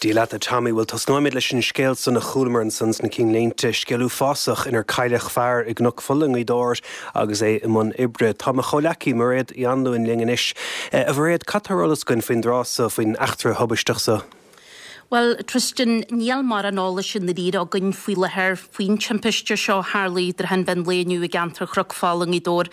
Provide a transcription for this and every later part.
Dia leat a Tommy, bhuel tosnóimid leis an scéal san a chualamar ansan sna cinnlínte, scéal uafásach inar cailleadh fear i gCnoc Fola i ngaoth Dobhair agus é i mbun oibre. Tá mo chomhleacaí Mairéad Uí Anluain linn anois. A Mhairéad, cad tá ar eolas againn faoin dtráth so, faoin eachtra thubaisteach so? Bhuel, Tristan, níl mórán eolais i ndáiríre againn faoi láthair faoin timpiste seo a tharlaigh i dtrátha an mheán lae inniu i gceantar Chnoc Fola i nGaoth Dobhair.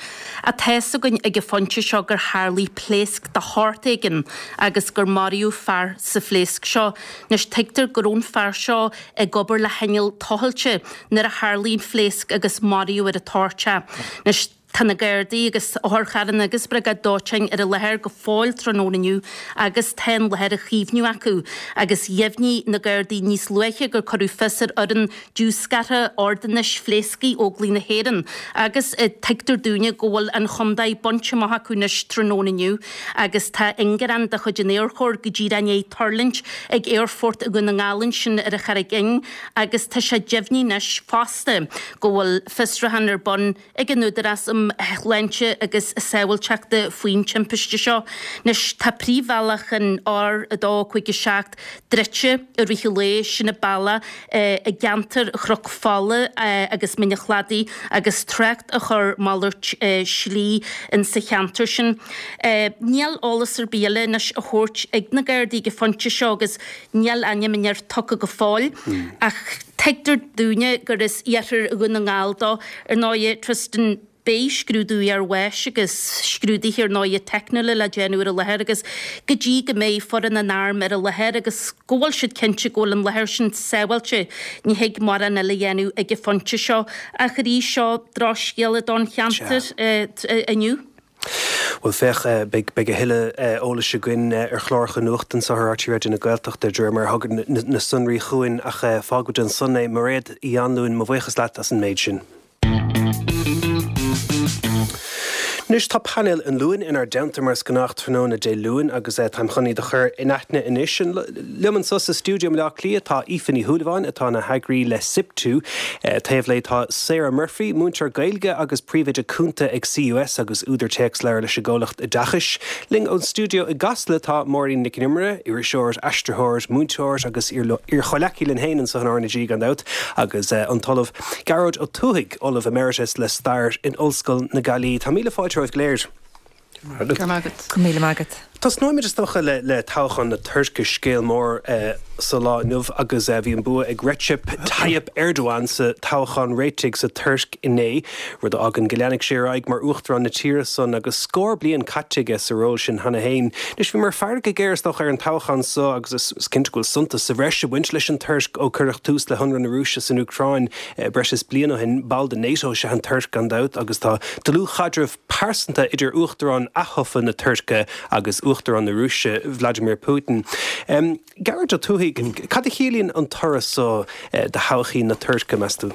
Ach tá fhios againn ag an phointe seo gur tharlaigh pléasc de shórt éigin agus gur maraíodh fear sa phléasc seo. Anois, tuigtear go raibh an fear seo ag obair le hinneall tochailte nuair a tharlaigh an phléasc agus maraíodh ar an toirt é. Anois, Tá na Gardaí agus otharcharranna agus briogáid dóiteáin ar an láthair go fóill tráthnóna inniu agus tá an láthair á chaomhnú acu agus dheimhnigh na Gardaí níos luaithe gur cuireadh fios ar fhoireann diúscartha ordanáis phléascaigh Óglaigh na hÉireann agus tuigtear dúinne go bhfuil an chontae bainte amach acu anois tráthnóna inniu agus tá ingearán de chuid an Aerchóir go díreach i ndiaidh tuirlingt ag Aerfort Dhún na nGall ansin ar an Charraig Fhinn agus tá sé deimhnithe anois fosta go bhfuil fiosrúchán ar bun ag an Údarás um Shláinte agus Sábháilteachta faoin timpiste seo. Anois tá príomhbhealach an R257 druidte i rith an lae, sin an bealach i gceantar Chnoc Fola agus Mín an Chladaigh agus trácht á chur malairt slí insa cheantar sin. Níl eolas ar bith eile anois á thabhairt ag na Gardaí ag an phointe seo agus níl ainm an fhir tugtha go fóill ach tuigtear dúinne gur as iarthar Dhún na nGall dó. Ar ndóighe, Tristan, beidh scrúdú iarbháis agus scrúduithe ar ndóighe teicniúla le déanamh ar an láthair agus go dtí go mbeidh foireann an airm ar an láthair agus go bhfuil siad cinnte go bhfuil an láthair sin sábháilte, ní thig mórán eile a dhéanamh ag an phointe seo. Ach arís, seo drochscéala don cheantar inniu. Bhuel, féach, beidh a thuilleadh eolais againn ar chláracha nuachta anseo ar RTÉ Raidió na Gaeltachta de réir mar a thagann na sonraí chugainn ach fágfaimid ansan é. Mairéad Uí Anluain, mo bhuíochas leat as an méid sin. Anois tá painéal an Luain inár dteannta mar is gnách tráthnóna Dé Luain agus táim chun iad a chur in aithne anois. Liom anseo sa stiúideo i mBaile Átha Cliath tá Aoife Ní Shúilleabháin atá ina heagraí le SIPTU. Taobh léi tá Sarah Murphy, múinteoir Gaeilge agus príomhoide cúnta ag CUS agus údar téacsleabhar leis an gcomhlacht oideachais. Linn ón stiúideo i gCasla tá Máirín Nic an Iomaire, iriseoir, aistritheoir, múinteoir agus iar-chomhleacaí linn féin anseo in RnaG gan dabht, agus an tOllamh Gearóid Ó Tuathaigh, Ollamh Emeritus le Stair in Ollscoil na Gaillimhe. Tá míle fáilte romhaibh go léir. Go raibh maith agat. Go míle maith agat. Tosnóimid is dócha le toghchán na Tuirce, scéal mór sa lá inniu agus bhí an bua ag Recep Tayyip Erdogan sa toghchán réitigh sa Tuirc inné, rud a fhágann go leanfaidh sé ar aghaidh mar uachtarán na tíre san agus scór bliain caite aige sa ról sin cheana féin. Anois bhíomar ag faire go géar is dócha ar an toghchán so agus is cinnte go bhfuil suntas sa bhreis ag baint leis an Tuirc ó cuireadh tús le hionradh na Rúise san Úcráin breis is bliain ó shin. Ball de NATO is ea an Tuirc gan dabht agus tá dlúthchaidreamh pearsanta idir Uachtarán aththofa na Tuirce agus Uachtarán na Rúise, Vladimir Putin. Gearóid Ó Tuathaigh, cad a chiallaíonn an toradh so do thodhchaí na Tuirce, meas tú?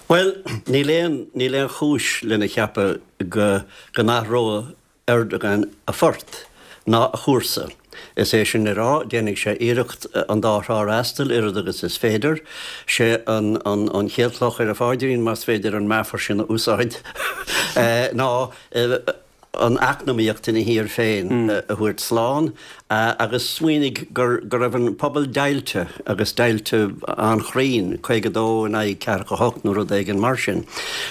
Bhuel, níl aon, níl aon chúis lena cheapadh go, go n-athróidh Erdogan a phort ná a chúrsa. Is é sin le rá, déanfaidh sé iarracht an dá thrá a fhreastal oiread agus is féidir. Sé an chéad chloch ar a phaidrín, más féidir an meafar sin a úsáid, ná an eacnamaíocht ina thír féin a thabhairt slán. Agus smaoinigh go raibh an pobal deighilte, agus deighilte an-chruinn, 52 in aghaidh 48 nó rud éigin mar sin.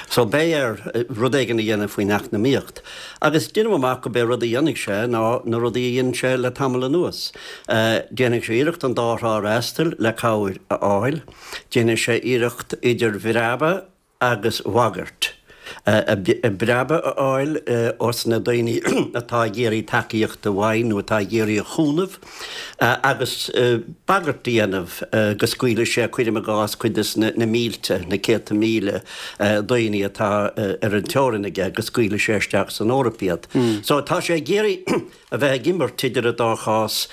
So beidh air rud éigin a dhéanamh faoin eacnamaíocht. Agus déanaim amach go b'é rud a dhéanfaidh sé ná na rudaí a dhein sé le tamall anuas. Déanfaidh sé iarracht an dá thrá a fhreastal le cabhair a fháil. Déanfaidh sé iarracht idir bhreabadh agus bhagairt, breabadh a fháil ós na daoine atá ag iarraidh tacaíochta uaidh nó atá ag iarraidh a chúnamh agus bagairt a dhéanamh go scaoilfidh sé, cuirim i gcás, cuid des na mílte, na céadta míle daoine atá ar an teorainn aige, go scaoilfidh sé isteach san Eoraip iad. So tá sé ag iarraidh a bheith ag imirt idir an dá chás.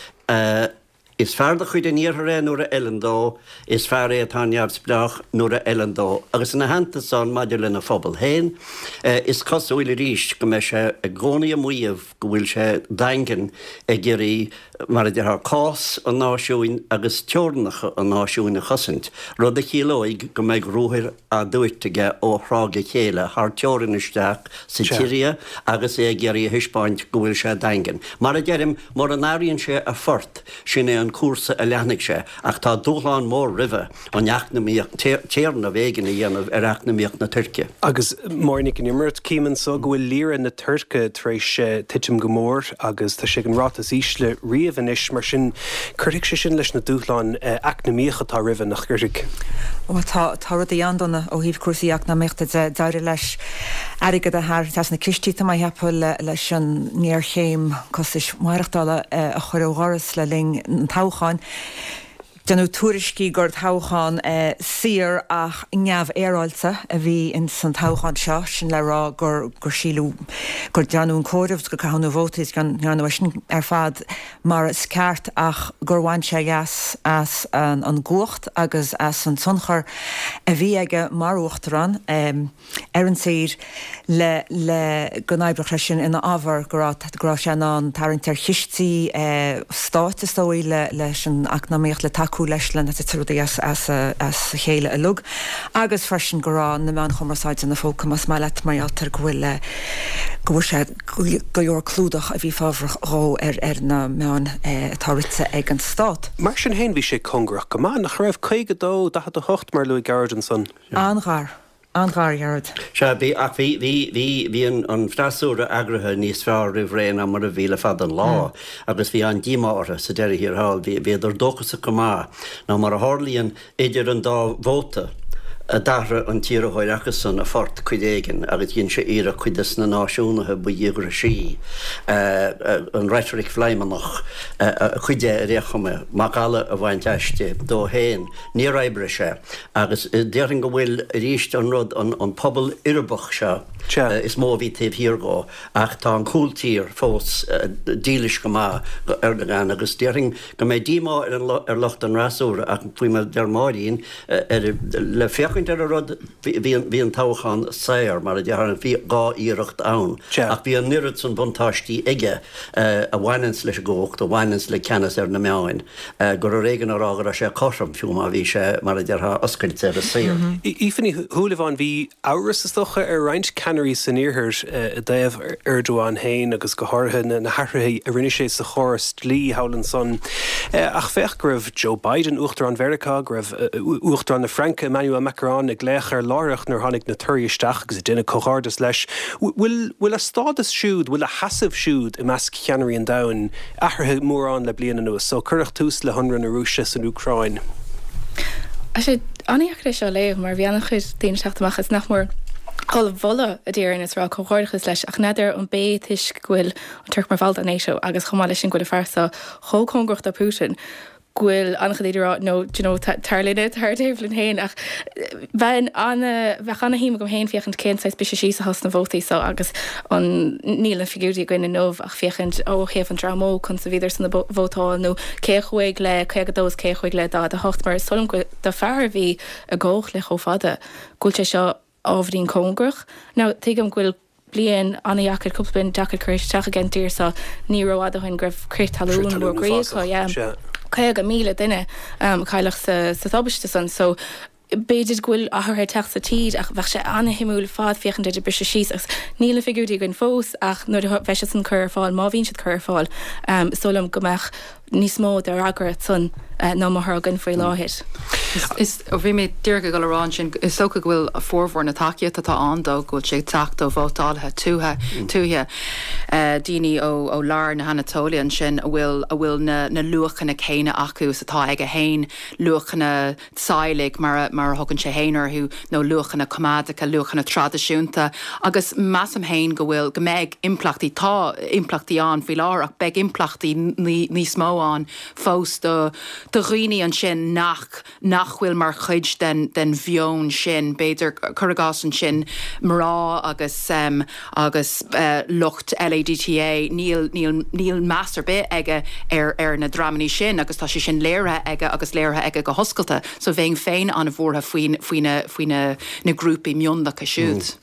Is fear de chuid an Iarthair é nuair a fheileann dó, is fear é atá neamhspleách nuair a fheileann dó, agus ina theannta san, maidir lena phobal féin, is cosúil arís go mbeidh sé i gcónaí ag maíomh go bhfuil sé daingean ag iarraidh, mar a déarfá, cás an náisiúin agus teorainneacha an náisiúin a chosaint, rud a chiallóidh go mbeidh ruathair á dtabhairt aige ó thráth go chéile thar teorainn isteach sa tSiria agus é ag iarraidh a thaispeáint go bhfuil sé daingean. Mar a deirim, mura n-athraíonn sé a phort, sin é an. an cúrsa a leanfaidh sé ach tá dúshlán mór roimhe, an eacnamaíocht, téarnamh éigin a dhéanamh ar eacnamaíocht na Tuirce. Agus Máirín Nic an Iomaire, cím anso go bhfuil lira na Tuirce tar éis titim go mór agus tá sé ag an ráta is ísle riamh anois, mar sin cuirfidh sé sin leis na dúshláin eacnamaíocha atá roimhe, nach gcuirfidh? Bhuel, tá, tá rudaí an-dona ó thaobh cúrsaí eacnamaíochta de. D'éirigh leis airgead a tharraingt as na cistí, tá mé a cheapadh, leis an ngéarchéim costais mhaireachtála a chur ó dhoras le linn an toghcháin. Déanadh tuairiscí gur toghchán saor ach neamhfhéaráilte a bhí ins an toghchán seo, sin le rá gur gur síleadh gur déanadh an comhaireamh, gur caitheadh na vótaí is go ndearnadh é sin ar fad mar is ceart ach gur bhain sé leas as an gcumhacht agus as an tionchar a bhí aige mar uachtarán. ar an tír le le go n-oibreodh sé sin ina fhabhar, go raibh go raibh sé in ann tarraingt ar chistí stáit is dóigh le leis an eacnamaíocht le tacú leis le nach dtitfeadh rudaí as as as a chéile uilig agus freisin go raibh na meáin chumarsáide ina phóca más maith leat mar gheall ar go bhfuil go bhfuair sé go leor clúdach a bhí fabhrach dhó ar ar na meáin atá rite ag an stát. Mar sin féin bhí sé cóngarach go maith, nach raibh? 52, 48 mar a luaigh Gearóid ansan. An-ghar. An-ghar, a Ghearóid. Sea, bhí, ach bhí, bhí, bhí, bhí an, an freasúra eagraithe níos fearr roimh ré ná mar a bhí le fada an lá agus bhí an-díomá orthu sa deireadh thiar thall. Bhí, bhíodar dóchasach go maith ná mar a tharlaíonn idir an dá vóta a d'athraigh an t-iarrthóir acusan a phort cuid éigin agus dhein sé iarracht cuid des na náisiúnaithe ba dhíograisí, an reitric Phléimeannach, cuid de ar aon chuma, macalla a bhaint aisti dó féin. Níor oibrigh sé. Agus déarfainn go bhfuil, arís, an rud, an pobal uirbeach seo is mó a bhí taobh thiar dhó, ach tá an cúltír fós dílis go maith do Erdogan agus déarfainn go mbeidh díomá ar lucht an fhreasúra ach faoi mar a deir Máirín, le féachaint ar an rud, bhí an toghchán saor, mar a déarfá, bhí 2 iarracht ann ach bhí an oiread san buntáistí aige a bhaineanns leis an gcumhacht, a bhaineanns le ceannas ar na meáin. gur ar éigean a rá go raibh sé cothrom, fiú má bhí sé, mar a déarfá, oscailte agus saor. Aoife Ní Shúilleabháin, Bhí amhras, is dócha, ar roinnt ceannairí san Iarthar i dtaobh Erdogan féin agus go háirithe na hathruithe a rinne sé sa chóras dlí thall ansan. Ach féach go raibh Joe Biden, Uachtarán Mheiriceá, go raibh Uachtarán na Fraince, Emmanuel Macron, ag glaoch air láithreach nuair a tháinig na torthaí isteach agus ag déanamh comhghairdeas leis. Bhfuil a stádas siúd, bhfuil a sheasamh siúd i measc cheannairí an domhain athraithe mórán le bliain anuas ó cuireadh tús le hionradh na Rúise san Úcráin. Tá sé an-dheacair é seo a léamh mar bhí an-chuid daoine ag teacht amach is nach mór á mholadh a déarfainn is ag rá comhghairdeachas leis ach n'fheadar an b'é toisc go bhfuil an Tuirc mar bhall de NATO agus chomh maith leis sin go bhfuil an fear seo chomh cóngarach do Putin go bhfuil an-chuid daoine ag rá no do you know tar linne, tar ar taobh linn féin ach bheinn ana, bheadh ana-shuim agam féin féachaint cén saghas briseadh síos atá sna vótaí so agus an, níl na figiúirí againn inniu ach féachaint ó thaobh an dream óg conas a bhíodar san ag vótáil nó cé a chuaigh le 52 is cé a chuaigh le 48 mar is dóigh liom go do fear a bhí i gcumhacht le chomh fada go bhfuil sé seo ábhairín cóngarach. Now, tuigim go bhfuil bliain an-dheacair, cúpla bliain deacair curtha isteach ag an dtír seo. Ní rófhada ó shin go raibh crith talún mór groí acu, yeah. 50,000 duine a cailleadh sa sa tubaiste san. So, b'fhéidir go bhfuil athruithe ag teacht sa tír ach bheadh sé an-shuimiúil ar fad féachaint ar an briseadh síos agus níl na figiúirí againn fós ach nuair a bheidh siad san curtha ar fáil, má bhíonn siad curtha ar fáil, is dóigh liom go mbeadh níos mó de fhreagra ansan ná mar atá againn faoi láthair. Is, bhí mé díreach ag dul a rá ansin, is dócha go bhfuil formhór na tacaíochta atá ann dó, go bhfuil sé ag teacht ó vótálaithe tuaithe, tuaithe, daoine ó, ó lár na hAnatóile ansin a bhfuil, a bhfuil na, na luachanna céanna acu is atá aige fhéin, luachanna teaghlaigh, mar a, mar a thugann sé fhéin orthu, nó luachanna coimeádacha, luachanna traidisiúnta. Agus measaim fhéin go bhfuil, go mbeidh impleachtaí, tá impleachtaí ann faoi láthair ach beidh impleachtaí níos mó ann fós do, do dhaoine ansin nach, nach bhfuil mar chuid den, den mheon sin, b'fhéidir, cuir i gcás ansin, mná agus, agus lucht LADTA, níl, níl, níl meas ar bith aige ar, ar na dreamanna sin agus tá sé sin léirithe aige agus léirithe aige go hoscailte. So bheinn féin an-bhuartha faoin, faoi na, faoi na, na grúpaí mionlacha siúd.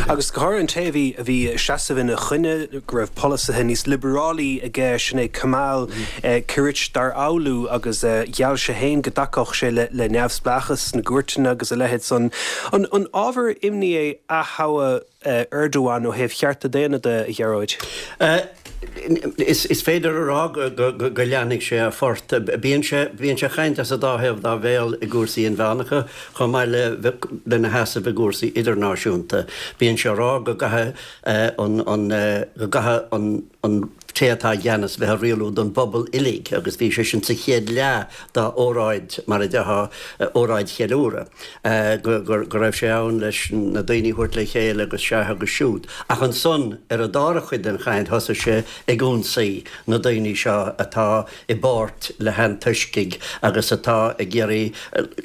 Agus go háirithe an té a bhí, a bhí ag seasamh ina choinne, go raibh polasaithe níos liobarálaí aige, sin é Kemal Kılıçdaroğlu agus gheall sé féin go dtacódh sé le, le neamhspleáchas na gcúirteanna agus a leithéid san. An, an ábhar imní é ath-thoghadh? Erdogan ó thaobh chearta daonna de, a Ghearóid? Is féidir a rá go leanfaidh sé a phort. Bíonn sé bíonn sé ag caint as an dá thaobh dá bhéal i gcúrsaí inmheánacha chomh maith le lena sheasamh i gcúrsaí idirnáisiúnta. Bíonn sé ag rá go gcaithfidh an an go gcaithfidh an an té atá i gceannas bheith ag rialú don bpobal uilig agus bhí sé sin sa chéad leath dá óráid, mar a déarfá, óráid cheiliúradh, go go raibh sé ann leis na daoine a thabhairt le chéile agus sea agus siúd. Ach ansan ar an dara chuid den chaint thosaigh sé ag ionsaí na daoine seo atá i bpáirt le hantoiscigh agus atá ag iarraidh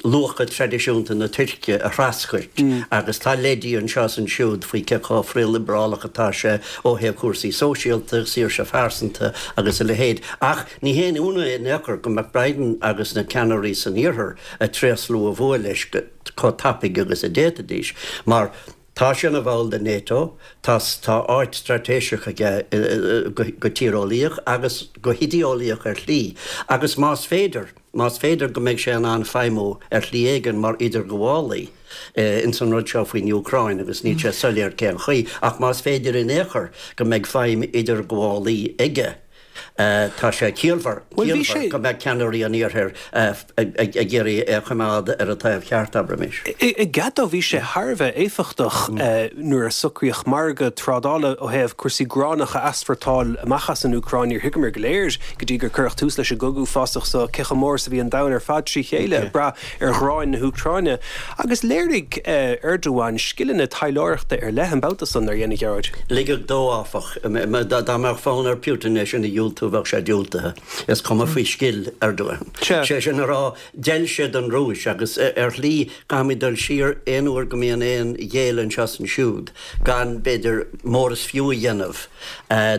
luacha traidisiúnta na Tuirce a threascairt agus tá leidí anseo is ansiúd faoi cé chomh frithliobrálach atá sé ó thaobh cúrsaí sóisialta, saoirse phearsanta agus a leithéid. Ach ní haon ionadh é in aon chor go mbeadh Biden agus na ceannairí san Iarthar ag tréaslú a bhua leis chomh tapaidh agus a d'fhéadfaidís mar Tá sé ina bhall de NATO, tá tá áit straitéiseach aige go tíreolaíoch agus go hidéeolaíoch ar shlí, agus más féidir, más féidir go mbeidh sé in ann feidhmiú ar shlí éigin mar idirghabhálaí ins an rud seo faoin Úcráin, agus níl sé soiléir cén chaoi, ach más féidir in aon chor go mbeidh feidhm idirghabhálaí aige. Tá sé ciallmhar go mbeadh ceannairí an Iarthair ag iarraidh é a choimeád ar an taobh cheart, abraimis. I gcead dó, bhí sé thar a bheith éifeachtach nuair a socraíodh margadh trádála ó thaobh cúrsaí gránach a easpórtáil amach as an Úcráin. Níor thuigeamar go léir go dtí gur cuireadh tús leis an gcogadh uafásach so cé chomh mór is a bhí an domhan ar fad trí chéile ag brath ar ghráin na hÚcráine. Agus léirigh Erdogan scileanna taidhleoireachta ar leith an babhta san, nár dhein, a Ghearóid? Ligeadh dó, áfach. Dá mbeadh fonn ar Putin é sin a dhiúltú, bheadh sé diúltaithe. Is cuma faoi scil Erdogan. Sé sin a rá, d'fheil sé don Rúis agus ar shlí caithfimid dul siar aon uair go mbíonn aon ghéilleadh anseo is ansiúd gan, b'fhéidir, mór is fiú a dhéanamh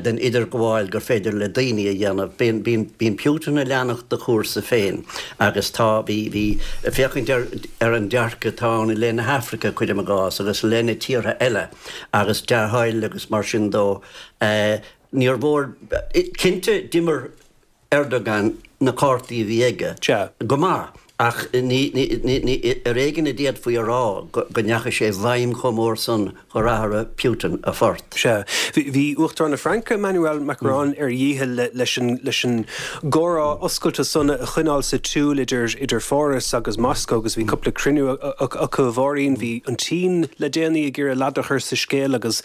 den idirghabháil gur féidir le daoine a dhéanamh. Bíonn Putin ag leanacht a chúrsa féin agus tá, bhí, bhí, féachaint ar ar an dearcadh atá ann i leith na hAfraice, cuirim i gcás, agus i leith na tíortha eile agus dea-thoil agus mar sin dó. Níor mhór, cinnte d'imir Erdogan na cártaí a bhí aige go maith ach ní, ní, ní, ar éigean a d'fhéadfaí a rá go ndeachaigh sé i bhfeidhm chomh mór san gur athraigh Putin a phort. Sea. Bhí Uachtarán na Fraince, Emmanuel Macron, ar a dhícheall leis an, leis an gcomhrá oscailte san a choinneáil sa tsiúl idir, idir Pháras agus Moscó agus bhí cúpla cruinniú acu, a Mháirín. Bhí an tSín le déanaí ag iarraidh lad a chur sa scéal agus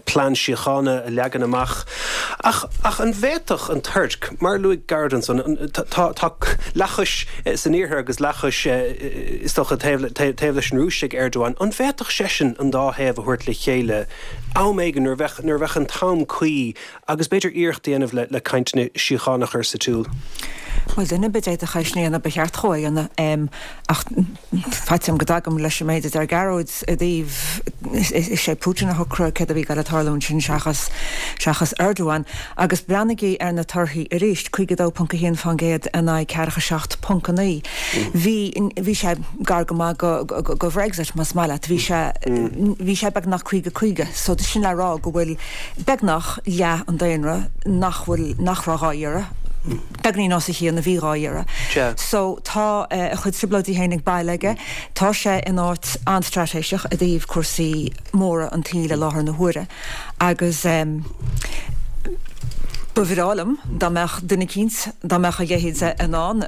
plean síochána a leagan amach. Ach, ach an bhféadfadh an Tuirc, mar a luaigh Gearóid ansan, tá, tá leathchois san iarthar agus leathchois, is dócha, taobh, taobh leis an Rúis ag Erdogan, an bhféadfadh seisean an dá thaobh a thabhairt le chéile am éigin nuair a bheadh, nuair a bheadh an t-am cuí agus b'fhéidir iarracht a dhéanamh le, le cainteanna síochána a chur sa tsiúl? Bhuel, duine ar bith a d'fhéadfadh é sin a dhéanamh, ba cheart dhó é a dhéanamh. Ach faitíos orm go dtagaim leis an méid a deir Gearóid i dtaobh, is é Putin a shocraigh céard a bhí ag dul a tarlú ansin seachas, seachas Erdogan. Agus breathnaigí ar na torthaí arís, 52.1% in aghaidh 47.9. Bhí, bhí sé gar go maith go, go Bhrexit más maith leat. Bhí sé, bhí sé beagnach 50, 50. So sin le rá go bhfuil beagnach leath an daonra nach bhfuil, nach raibh dhá iarraidh. Beagáinín os a chionn a bhí dhá iarraidh. So tá a chuid trioblóidí féin ag baile aige. Tá sé in áit an-straitéiseach i dtaobh cúrsaí móra an tsaoil i láthair na huaire agus ba bhreá liom dá mbeadh duine eicínt, dá mbeadh a leithéid in ann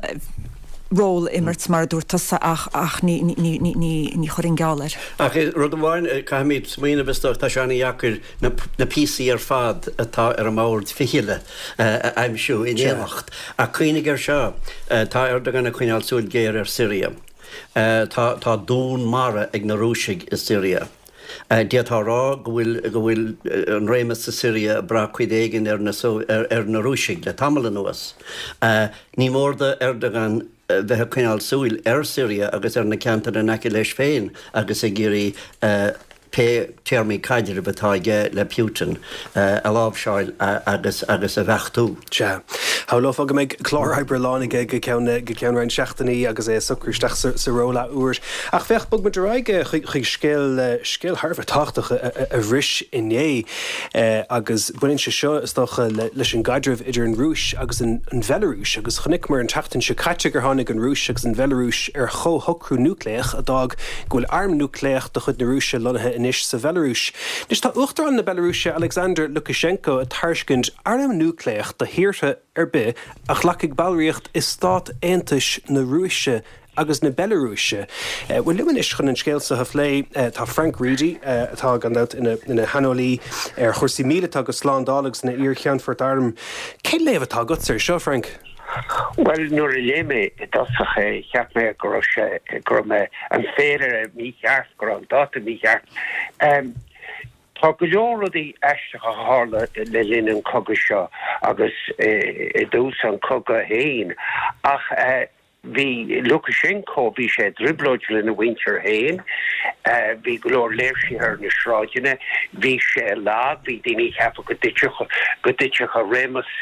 ról a imirt mar a dúirt tusa ach ach ní ní ní ní ní chuirfinn geall air. Ach rud amháin, caithfimid smaoineamh is dócha, tá sé an-dheacair na na píosaí ar fad atá ar an mbord fichille a aimsiú in éineacht. Ach cuimhnigh air seo, tá Erdogan ag coinneáil súil ghéar ar Syria. Tá tá dún mara ag na Rúisigh i Syria. D'fhéadfá a rá go bhfuil go bhfuil an réimeas sa Siria ag brath cuid éigin ar na ar na Rúisigh le tamall anuas. Ní mór do Erdogan bheith ag coinneáil súil ar Syria agus ar na ceantair in aice leis féin agus ag iarraidh pé téarmaí caidrimh atá aige le Putin a láimhseáil agus agus a bheachtú. Sea. Shamhlófá go mbeidh clár oibre lán aige go ceann go ceann roinnt seachtainí agus é ag socrú isteach sa ról athuair. Ach féach, bog muid ar aghaidh chuig chuig scéal scéal thar a bheith tábhachtach a bhris inné agus baineann sé seo, is dócha, leis an gcaidreamh idir an Rúis agus an Bhealarúis agus chonaiceamar an tseachtain seo caite gur tháinig an Rúis agus an Bhealarúis ar chomhshocrú núicléach a d'fhág go bhfuil arm núicléach de chuid na Rúise lonnaithe anois sa Bhealarúis. Anois tá Uachtarán na Bealarúise Alexander Lukashenko ag tairiscint arm núicléach do thíortha ar bith a ghlacfaidh ballraíocht i Stát Aontais na Rúise agus na Bealarúise. Bhuel, liom anois chun an scéal seo a phlé tá Frank Reidy, atá gan dabht ina shaineolaí ar chúrsaí míleata agus slándála agus ina iar-cheannfort airm. Cén léamh atá agatsa air seo, Frank? Bhuel, nuair a léigh mé i dtosach é, cheap mé go raibh sé, go raibh mé, an féilire mícheart, go raibh an dáta mícheart. Tá go leor rudaí aisteacha a tharla le linn an chogaidh seo agus i dtús an chogaidh féin ach bhí Lukashenko, bhí sé i dtrioblóid lena mhuintir féin, bhí go leor léirsithe ar na sráideanna, bhí sé lag, bhí daoine ag ceapadh go dtitfeadh, go dtitfeadh a réimeas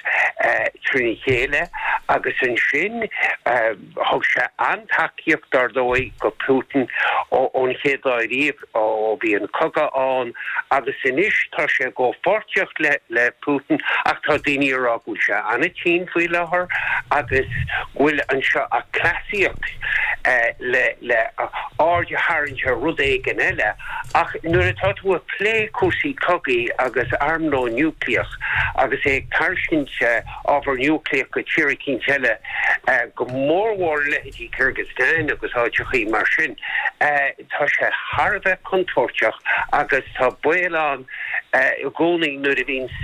trína chéile agus ansin thug sé an-tacaíocht dar ndóigh go Putin ón chéad lá riamh. ó bhí an cogadh ann agus anois tá sé i gcomhpháirtíocht le Putin ach tá daoine ag rá go bhfuil sé an-tinn faoi láthair agus go bhfuil anseo ach cleasaíocht le le aird a tharraingt ar rud éigin eile ach nuair atá tú ag plé cúrsaí cogaidh agus armlón núicléach agus é ag tairiscint ábhar núicléach go tír eicínt eile go mórmhór leithéidí Kyrgyzstan agus áiteachaí mar sin. Tá sé thar a bheith contúirteach agus tá baol ann i gcónaí nuair a bhíonns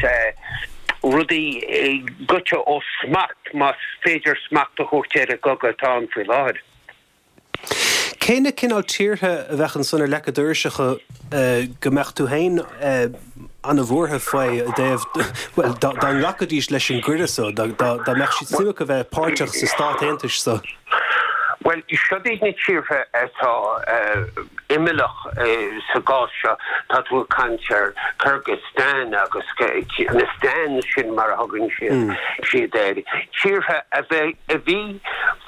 rudaí goite ó smacht, más féidir smacht a thabhairt ar an gcogadh atá ann faoi láthair. Cé na cineál tíortha a bheadh ansan ar leac an dorais acu go mbeadh tú féin ana-bhuartha faoi i dtaobh, bhuel, dá nglacfaidís leis an gcuireadh so, dá mbeadh siad suim acu bheith páirteach sa Stát Aontais so? Bhuel, siod iad na tíortha atá imeallach sa gcás seo. Tá tú ag caint ar Kyrgyzstan agus na stans sin mar a thugann siad air. Tíortha a bhí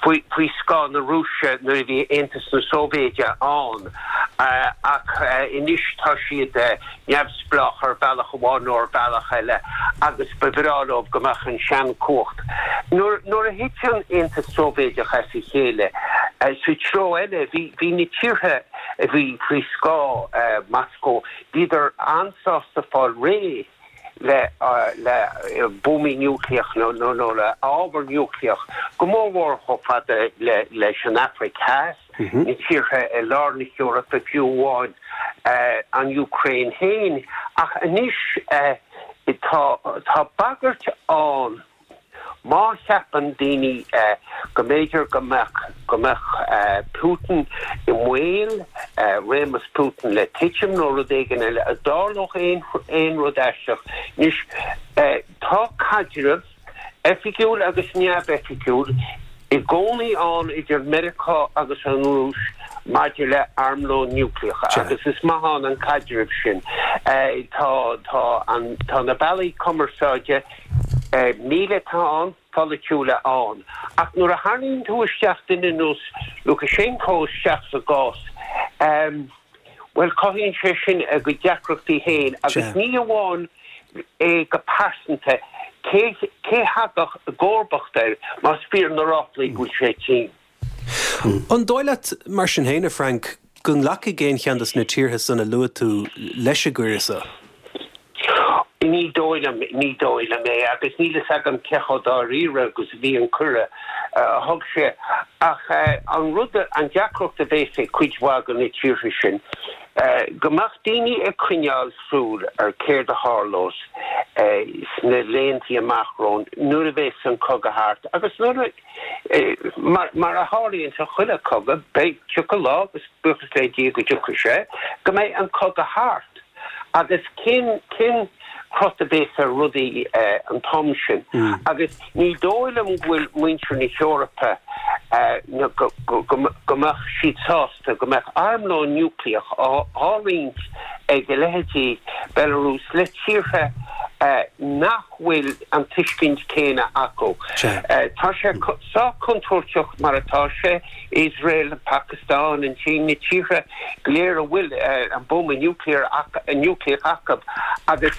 faoi scáth na Rúise nuair a bhí Aontas na Sóivéide ann ach anois tá siad neamhspleách ar bhealach amháin nó ar bhealach eile agus ba bhreá leo go mbeadh an seanchumhacht. Nuair a thit an Aontas Sóivéideach as a chéile, sa treo eile, bhí bhí na tíortha a bhí faoi scáth Moscó, bhíodar an-sásta fáil réidh le le buamaí núicléach nó nó le ábhar núicléach, go mórmhór chomh fada le leis an Afraic Theas. na tíortha i lár na hEorpa, fiú amháin an Úcráin féin. Ach anois tá tá bagairt ann má cheapann daoine go mb'fhéidir go mbeadh go mbeadh Putin i mbaol, réimeas Putin le titim nó rud éigin eile, a dtarlódh aon aon rud aisteach. Anois tá caidreamh oifigiúil agus neamhoifigiúil, i gcónaí ann idir Meiriceá agus an Rúis maidir le armlón núicléach agus is maith ann an caidreamh sin. Tá, tá an, tá na bealaí cumarsáide míleata ann, polaitiúla ann. Ach nuair a tharraingíonn tú isteach duine ar nós Lukashenko isteach sa gcás, bhuel, cothaíonn sé sin a gcuid deacrachtaí féin agus ní amháin é go pearsanta, cé cé thagadh i gcomharbacht air más fíor na ráflaí go bhfuil sé tinn? An dóigh leat, mar sin féin, a Frank, go nglacfaidh aon cheann de na tíortha san a luaigh tú leis an gcuireadh so? Ní dóigh liom, ní dóigh liom é agus níl fhios agam cé chomh dáiríre agus a bhí an cuireadh a thug sé. Ach an rud, an deacracht a bhéas ag cuid mhaith de na tíortha sin, go mbeadh daoine ag coinneáil súil ar céard a tharlós sna laethanta amach romhainn nuair a bhéas an cogadh thart agus nuair a, mar a tharlaíonn sa chuile chogadh, beidh, tiocfaidh lá, agus buíochas le Dia go dtiocfaidh sé, go mbeidh an cogadh thart agus cén, cén crot a bhéas ar rudaí an t-am sin agus ní dóigh liom go bhfuil muintir na hEorpa go mbeadh siad sásta. go mbeadh armlón núicléach á roinnt ag a leithéidí Belarus le tíortha. nach bhfuil an tuiscint céanna acu. Tá sé sách contúirteach mar atá sé, Iosrael, an Phacastáin, an tSín, na tíortha go léir a bhfuil an buama núicléach acu agus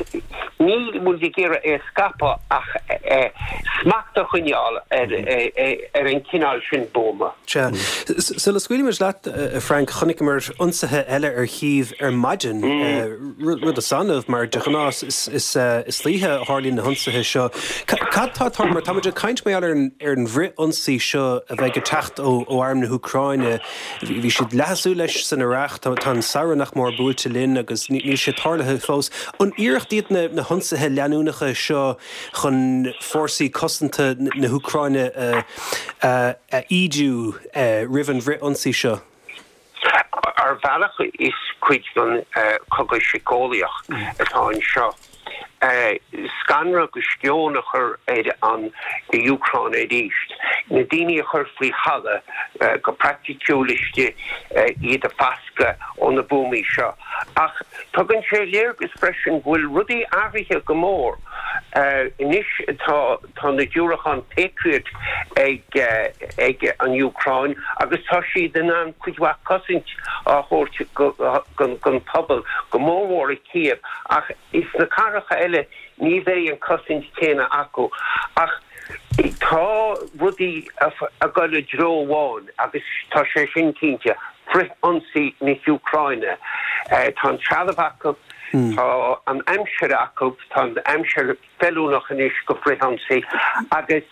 níl muid ag iarraidh é a scaipeadh ach smacht a choinneáil ar an chineál sin buama. Sea. Sula scaoilfimid leat, a Frank, chonaiceamar ionsaithe eile ar Chív ar maidin, rud is annamh mar de ghnáth is istoíche a tharlaíonn na hionsaithe seo. Cad tá ag tarlú, mar tá muid ag caint mar gheall ar an bhfrith-ionsaí seo a bheidh ag teacht ó arm na hÚcráine. Bhí siad leath ag súil leis san earrach, tá an samhradh nach mór buailte linn agus níl sé tarlaithe fós. An iarracht iad na hionsaithe leanúnacha seo chun fórsaí cosanta na hÚcráine a ídiú roimh an bhfrith-ionsaí seo? Ar bhealach is cuid den chogadh síceolaíoch atá anseo. Scanradh agus sceon a chur ar an Úcráin arís. Na daoine a chur faoi thalamh go praiticiúil istigh, iad a bhascadh ó na buamaí seo. Ach tugann sé léargas freisin go bhfuil rudaí athraithe go mór. Anois tá Tá na diúracáin Patriot ag ag an Úcráin agus tá siad in ann cuid mhaith cosaint a thabhairt don phobal, go mórmhór i Kiev, ach sna cathracha eile ní bheidh an cosaint chéanna acu. Ach tá rudaí ag dul i dtreo amháin agus tá sé sin cinnte, frith-ionsaí na hÚcráine. Tá an trealamh acu, tá an aimsir acu, tá an aimsir feiliúnach anois do frith-ionsaí agus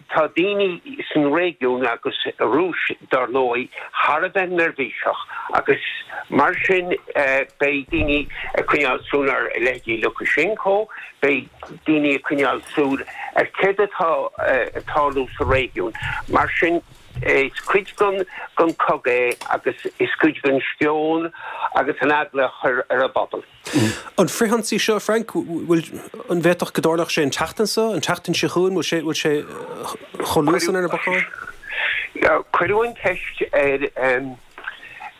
tá daoine san réigiún agus Rúis dar ndóigh thar a bheith neirbhíseach agus mar sin beidh daoine ag coinneáil súil ar leithéidí Lukashenko, beidh daoine ag coinneáil súil ar céard atá ag tarlú sa réigiún. Mar sin is cuid den cogadh é agus is cuid den sceon agus an eagla a chur ar an bpobal. An frithionsaí seo, Frank, bhfuil, an bhféadfadh go dtarlódh sé an tseachtain seo, an tseachtain seo chugainn, bhfuil sé, bhfuil sé chomh luath san ar na bacáin? Cuireadh an cheist ar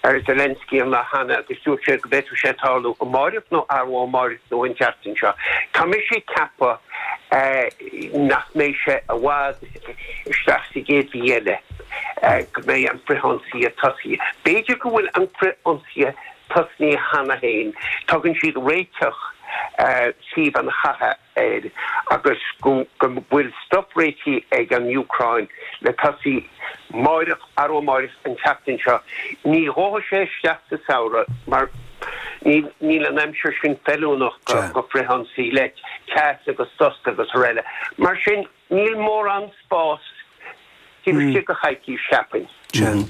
ar Zelensky an lá cheana agus dúirt sé go bhféadfadh sé tarlú amáireach nó arú amáireach nó an tseachtain seo. Tá mise ag ceapadh nach mbeidh sé i bhfad isteach sa gcéad mhí eile go mbeidh an frithionsaí tosaithe. B'fhéidir go bhfuil an frithionsaí tosnaithe cheana féin. Tugann siad réiteach suíomh an chatha air agus go bhfuil stuif réitithe ag an Úcráin le tosaí máireach, arú amáireach, an tseachtain seo. Ní ghabhfaidh sé isteach sa samhradh mar níl an aimsir sin feiliúnach do frithionsaí le teas agus dusta agus araile. Mar sin. Níl mórán spás taobh istigh de choicís, cheapfainn. Sea.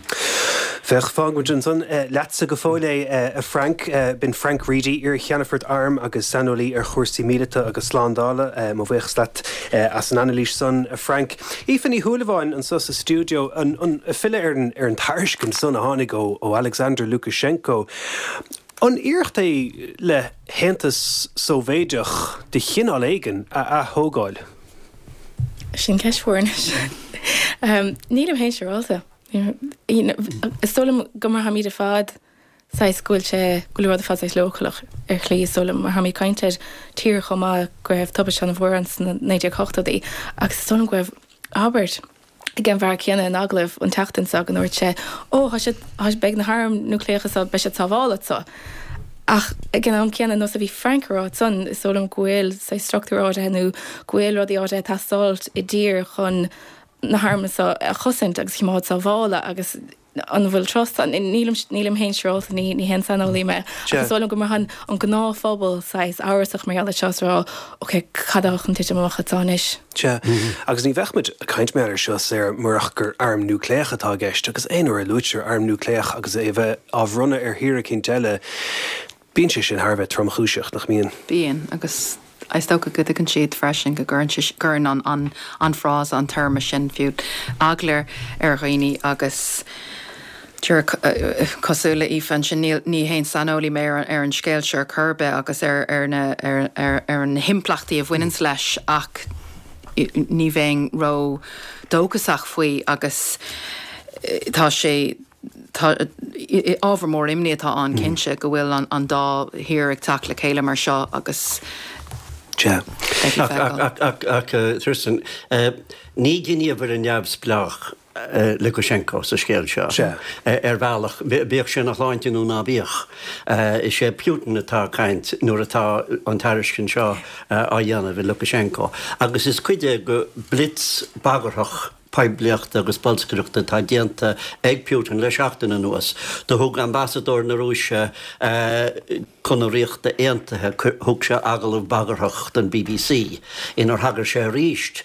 Féach, fágfaidh muid ansan leatsa go fóill é, a Frank. B'in Frank Reidy, iar-cheannfort airm agus saineolaí ar chúrsaí míleata agus slándála. Mo bhuíochas leat as an anailís san, a Frank. Aoife Ní Shúilleabháin anso sa stiúideo, ag filleadh ar an tairiscint san a tháinig ó Alexander Lukashenko. An iarracht é le hAontas Sóivéideach de chineál éigin a ath-thógáil? Sin ceist mhór anois. Nílim féin siúráilte. Is dóigh liom go mar táimid ar fad saghas go bhfuil sé, go bhfuil an rud ar fad saghas leochaileach ar shlí is dóigh liom mar táimid ag caint ar tír chomh maith go raibh tubaiste an-mhór ann sna 1980idí agus is dóigh liom go raibh abairt ag an bhfear céanna in agallamh an tseachtain seo go ndúirt sé, Ó, tá siad, tá, beidh na hairm núicléacha seo, beidh siad sábháilte anseo. Ach ag an am céanna, nós a bhí Frank a rá ansan, is dóigh liom go bhfuil saghas struchtúr áirithe nó go bhfuil rudaí áirithe ag teastáilt i dtír chun na hairm seo a chosaint agus a choimeád sábháilte agus an bhfuil trust ann? Nílim, nílim féin siúráilte, ní, ní haon saineolaí mé. Ach is dóigh liom go mbraitheann an gnáthphobal saghas amhrasach mar gheall air seo is a rá, ok, cad atá chun titim amach anseo anois? Sea, agus ní bheadh muid ag caint mar gheall air seo, Sarah, murach gur arm núicléach atá i gceist, agus aon uair a luaitear arm núicléach agus é a bheith á bhronnadh ar thír eicínt eile, bíonn sé sin thar a bheith tromchúiseach, nach mbíonn? Bíonn, agus is dócha go dtuigeann siad freisin go gcuireann sé, gcuireann an, an, an frása, an téarma sin fiú, eagla ar dhaoine agus díreach cosúil le Aoife ansin, níl, ní haon saineolaí mé ar, ar an scéal seo ar chor ar bith agus ar, ar na, ar, ar, ar na himpleachtaí a bhaineanns leis ach ní bheinn ró dóchasach faoi agus tá sé, Tá, ábhar mór imní atá ann cinnte go bhfuil an dá thír ag teacht le chéile mar seo agus. Sea. Beidh le feiceáil. Ach, ach, Tristan, ní gníomhaire neamhspleách Lukashenko sa scéal seo. Sea. Ar bhealach, bíodh sé ina shláinte nó ná bíodh, is é Putin atá ag caint nuair atá an tairiscint seo á dhéanamh ag Lukashenko. Agus is cuid é de blitz bagarthach poiblíochta agus bolscaireachta atá déanta ag Putin le seachtain anuas. Do thug ambasadóir na Rúise chun na Ríochta Aontaithe, thug sé agallamh bagarthach don bbc inar thagair sé arís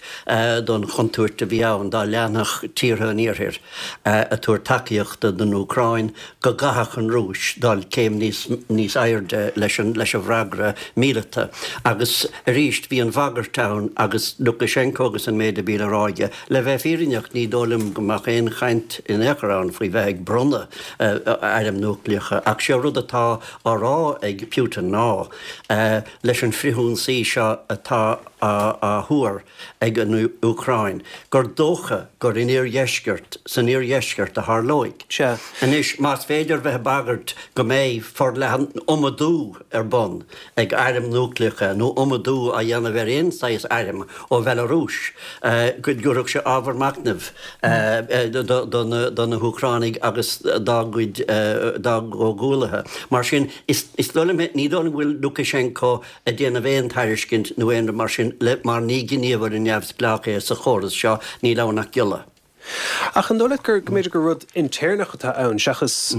don chontúirt a bhí ann dá leanfadh tíortha an Iarthair ag tabhairt tacaíochta don Úcráin go gcaithfeadh an Rúis dul céim níos airde leis an bhfreagra míleata. Agus arís bhí an bhagairt ann agus Lukashenko agus an méid a bhí le rá aige. Le bheith fírinneach ní dóigh liom go mbeadh aon chaint in aon chor ann faoi bheith ag bronnadh airm núicléacha ach sé rud atá á rá ag Putin ná leis an frithionsaí seo atá á thuar ag an Úcráin gur dócha gur in iardheisceart, san iardheisceart a tharlóidh. Sea. Anois, más féidir bheith ag bagairt go mbeidh forleathan iomadú ar bun ag airm núicléacha nó iomadú á dhéanamh ar aon saghas airm ó Bhealarúis, go dtabharfadh sé ábhar machnaimh do na hÚcránaigh agus dá gcuid, dá gcomhghuallaithe. Mar sin, is dóigh liom, ní dóigh liom go bhfuil Lukashenko ag déanamh aon tairiscint nó aon rud mar sin le mar ní gníomhaire neamhspleách é sa chóras seo, níl ann ach giolla. Ach an dóigh leat gur, go mb'fhéidir gur rud intéirneach atá ann seachas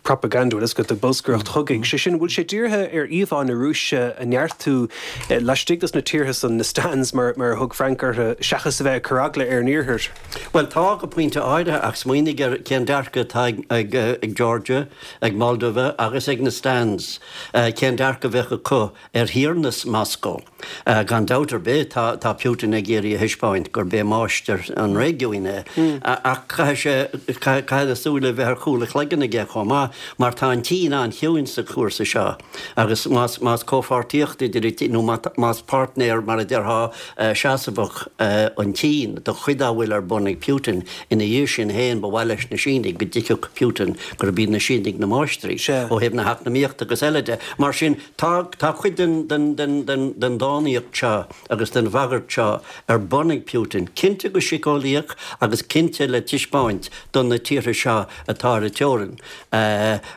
propaganda, bhuel, is go bolscaireacht chogaidh, sé sin, bhfuil sé dírithe ar íomhá na Rúise a neartú laistigh dos na tíortha san, na stans mar a thug Frank orthu, seachas a bheith ag cur eagla ar an Iarthar? Bhuel, tá go pointe áirithe, ach smaoinigh ar cén dearcadh atá ag Georgia, ag Moldova agus ag na stans, cén dearcadh a bheadh acu ar thiarnas Moscó. Gan dabht ar bith, tá Putin ag iarraidh a thaispeáint gurb é máistir an réigiúin é, ach caithfidh sé, caithfidh na súile a bheith ar chúl a chloigeann aige chomh maith, mar tá an tSín an-chiúin sa chúrsa seo, agus más comhpháirtíocht idir an, nó más páirtnéir, mar a déarfá, seasmhach an tSín do chuid dá bhfuil ar bun ag Putin, ina dhiaidh sin féin ba mhaith leis na Sínigh go dtuigfeadh Putin gurb iad na Sínigh na máistrí ó thaobh na heacnamaíochta agus eile de. Mar sin, Tá, tá cuid den, den, den, den, den dánaíocht seo agus den bhagairt seo ar bun ag Putin, cinnte go síceolaíoch agus cinnte le taispeáint do na tíortha seo atá ar an teorainn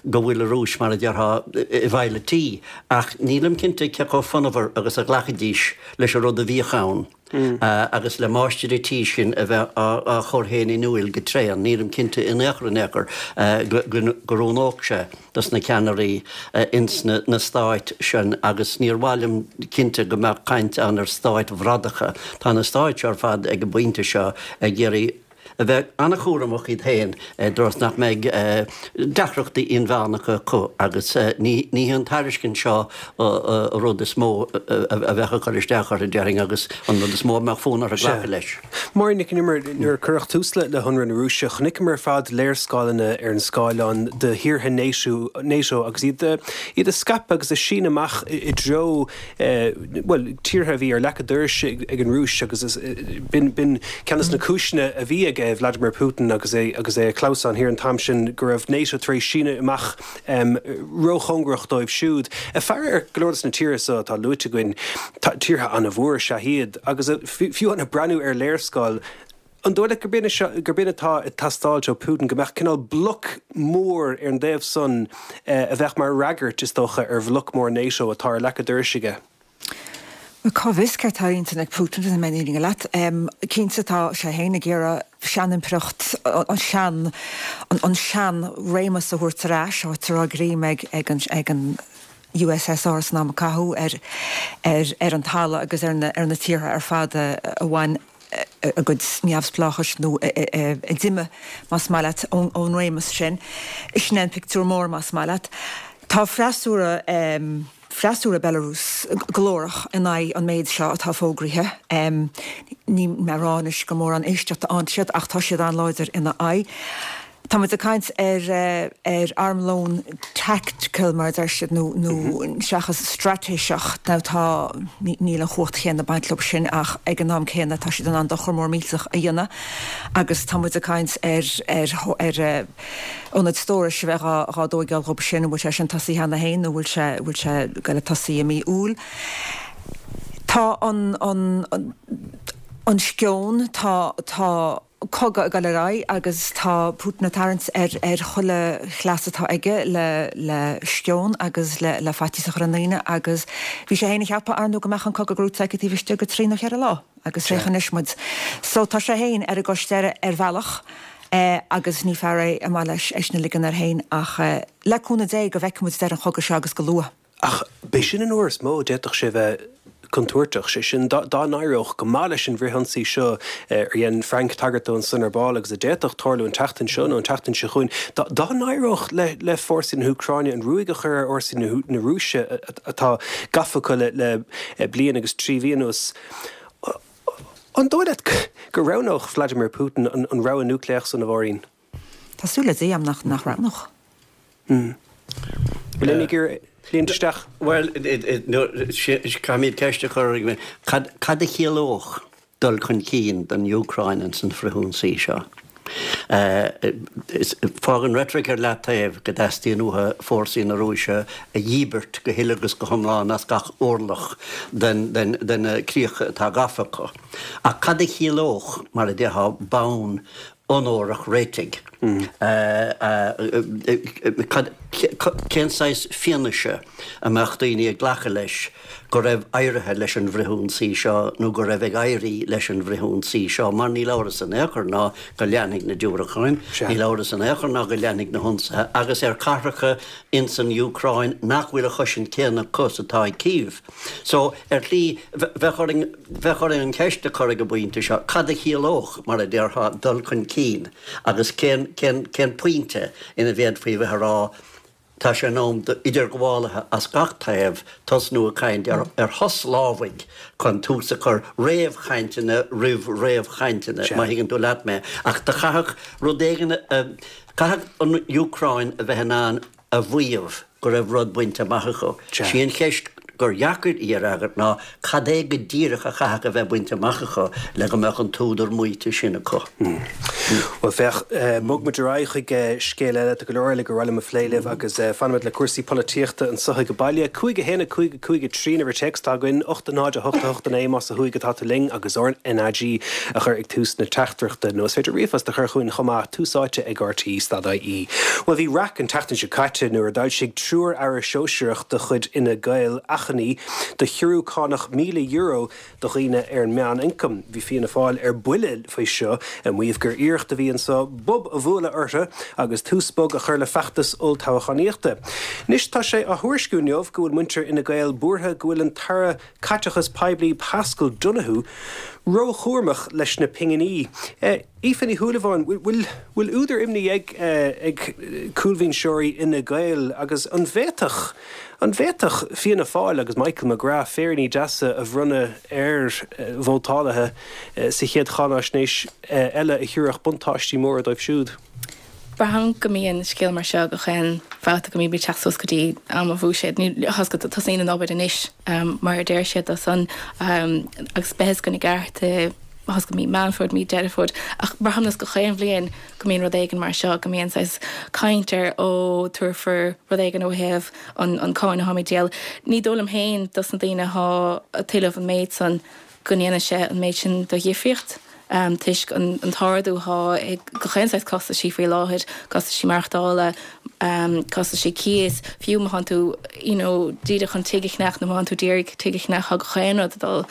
go bhfuil an Rúis, mar a déarfá, i bhfeighil an tí. Ach nílim cinnte cé chomh fonnmhar agus a ghlacfaidís leis an rud a bhíodh ann. agus le máistir an tí sin a bheith á chur féin in iúil go tréan, nílim cinnte in aon chor in aon chor go roghnódh sé dos na ceannairí ins na stáit sin agus níor mhaith liom cinnte go mbeadh caint ann ar stáit bhradacha. Tá na stáit seo ar fad ag an bpointe seo ag iarraidh a bheith an-chúramach iad féin i dtreo is nach mbeidh deacrachtaí inmheánacha acu agus ní hí an tairiscint seo an rud is mó a bheadh ag cur isteach orthu, déarfainn, agus an rud is mó a mbeadh fonn orthu glacadh leis. Máirín Nic Con Iomaire, nuair a cuireadh tús le hionradh na Rúise, chonaiceamar ar fad léarscáileanna ar an scáileán de thíortha NATO agus iad iad ag scaipeadh agus ag síneadh amach i dtreo bhuel, tíortha a bhí ar leac an dorais ag an Rúis agus b'in ceann de na cúiseanna a bhí ag Vladimir Putin agus é agus é ag clamhsán thiar an t-am sin go raibh NATO tar éis síneadh amach róchóngarach dóibh siúd. Ag faire ar go leor de na tíortha seo atá luaite againn, tíortha an-mhór is ea iad agus fiú ag breathnú ar léarscáil, An dóigh leat gurb in, gurb in atá ag teastáilt ó Putin, go mbeadh cineál bloc mór ar an dtaobh san a bheadh mar fhreagairt, is dócha, ar bhloc mór NATO atá ar leac an dorais aige? Bhuel, cá bhfios céard atá ar intinn ag Putin, le bheith fírinneach leat. Cinnte, tá sé féin ag iarraidh seanimpireacht, an sean, an sean-réimeas a thabhairt ar ais, áit a raibh greim ag, ag an, ag an, USSR san am a caitheadh ar, ar, ar an talamh agus ar na, ar na tíortha ar fad a, a bhain a gcuid neamhspleáchais nó a d'imigh, más maith leat, ón réimeas sin. Sin é an pictiúr mór, más maith leat. Tá freasúra, freasúra Belarus glórach in aghaidh an méid seo atá fógraithe. Níl mé ag rá anois gur mórán éisteachta a fhaigheann siad ach tá siad an-láidir ina aghaidh. Tá muid ag caint ar ar armlón tactical mar a deir siad nó nó seachas straitéiseach. Now tá, níl an chumhacht chéanna ag baint leo sin ach ag an am céanna tá siad in ann dochar mór millteach a dhéanamh agus tá muid ag caint ar ar ar ionaid stórais a bheith dhá dhá dtóigeáil dhób sin, an bhfuil sé sin tosaithe cheana féin nó bhfuil sé bhfuil sé ag goil ag tosaí i mí Iúil. Tá an, an, an sceon, tá, tá cogadh ag dul ar aghaidh agus tá Putin ag tarraingt ar, ar chuile chleas atá aige le, le sceon agus le, le faitíos a chur ar ndaoine agus bhí sé féin ag ceapadh, ar ndóigh, go mbeadh an cogadh gnóite aige taobh istigh de thrí nó cheithre lá agus féach anois muid. So tá sé féin ar an gcois deiridh ar bhealach agus ní fear é ar maith leis é sin a ligean air féin ach le cúnamh Dé go bhfeicfidh muid deireadh an chogaidh seo agus go luath. Ach b'é sin an uair is mó a d'fhéadfadh sé bheith contúirteach, sé sin, dá n-éireodh go maith leis an bhfrithionsaí seo ar dhein Frank tagairt dó ansan ar ball agus a d'fhéadfadh tarlú an tseachtain seo nó an tseachtain seo chugainn, dá n-éireodh le fórsaí na hÚcráine an ruaig a chur ar fhórsaí na Rúise atá gafa acu le bliain agus trí mhí anuas, an dóigh leat go roghnódh Vladimir Putin an rogha núicléach san, a Mháirín? Tá súil le Dia agam nach nach roghnódh. Bhfuil éinne ag iarraidh líonadh isteach? Bhuel, caithfimid ceist a chur orainn, cad cad a chiallódh dul chun cinn don Úcráin ins an frithionsaí seo? Fág an reitric ar leataobh go dteastaíonn uathu fórsaí na Rúise a dhíbirt go huile agus go hiomlán as gach orlach den de na críocha atá gafa acu. Ach cad a chiallódh, mar a déarfá, bonn onórach réitigh. Cén saghas fianaise a mbeadh daoine ag glacadh leis go raibh éirithe leis an bhfrithionsaí seo nó go raibh ag éirí leis an bhfrithionsaí seo? Mar níl amhras in aon chor ná go leanfaidh na diúracáin, níl amhras in aon chor ná go leanfaidh na hionsaithe agus ar chathracha ins an Úcráin nach bhfuil a chosaint céanna acu is atá ag Cív. So, ar shlí, bheadh orainn, bheadh orainn an cheist a chur ag an bpointe seo, cad a chiallódh, mar a déarfá, dul chun cinn agus cén, cén, cén pointe ina bhféadfaí a bheith a rá, tá sé in am d'idirghabhálaithe as gach taobh tosnú ag caint ar, ar shos lámhaigh chun tús a chur réamhchainteanna roimh réamhchainteanna, má thuigeann tú leat mé. Ach do chaithfeadh rud éigin a, chaithfeadh an Úcráin a bheith in ann a mhaíomh go raibh rud bainte amach acu. Sí an cheist gur dheacair í a fhreagairt ná cad é go díreach a chaithfeadh a bheith bainte amach acu le go mbeadh an t-údar maíte sin acu. Bhuel, féach, bog muid ar aghaidh chuig scéal eile. Tá go leor eile gur mhaith liom a phlé libh agus fanfaimid le cúrsaí polaitíochta anso ag baile. 5 1 5 5 3 an uimhir téacs atá againn, 8 0 8 8 9 más ó thuaidh atá tú linn agus RnaG a chur ag tús na teachtaireachta nó is féidir ríomhphost a chur chugainn chomh maith, Tús Áite ag RTÉ stad IE. Bhuel bhí raic an tseachtain seo caite nuair a d'fhoilsigh triúr aire sóisearach de chuid Fhine Gael achainí do chiorrú cánach €1,000 do dhaoine ar an meánioncam. Bhí Fianna Fáil ar buile faoi seo, ag maíomh gur iarracht a bhí anso bob a bhualadh orthu agus tús bog a chur le feachtas olltoghchánaíochta. Anois tá sé á thuairisciú inniu go bhfuil muintir Fhine Gael buartha go bhfuil an tAire Caiteachais Poiblí Paschal Donohoe róchúramach leis na pinginí. Aoife Ní Shúilleabháin, bhfuil bhfuil údar imní ag ag cúlbhinseoirí Fhine Gael agus an bhféadfadh an bhféadfadh Fianna Fáil agus Michael McGrath féiríní deasa a bhronnadh ar vótálaithe sa chéad cháinaisnéis eile a thabharfadh buntáistí móra dóibh siúd? Braithim go mbíonn scéal mar seo gach aon bhabhta go mbímid ag teacht suas go dtí am an bhuiséid. Ní tá 's agat tosaíonn an obair anois mar a deir siad dó san agus beidh a fhios againn i gceart i tá 's agat mí Meán Fómhair, mí Deireadh Fómhair ach braithim nós gach aon bhliain go mbíonn rud éigin mar seo, go mbíonn saghas caint ar ó tabharfar rud éigin ó thaobh an an cáin atháimid ag díol. Ní dóigh liom féin dos na daoine athá ag tuilleamh an méid san go ndéanfaidh sé an méid sin de dhifríocht toisc an t-ardú athá ag gach aon saghas costaisí faoi láthair, costaisí maireachtála, costaisí cíos, fiú má thánn tú you know díreach chun tigh a cheannach nó má thánn tú d'iarraidh tigh a cheannach tá gach aon rud ag dul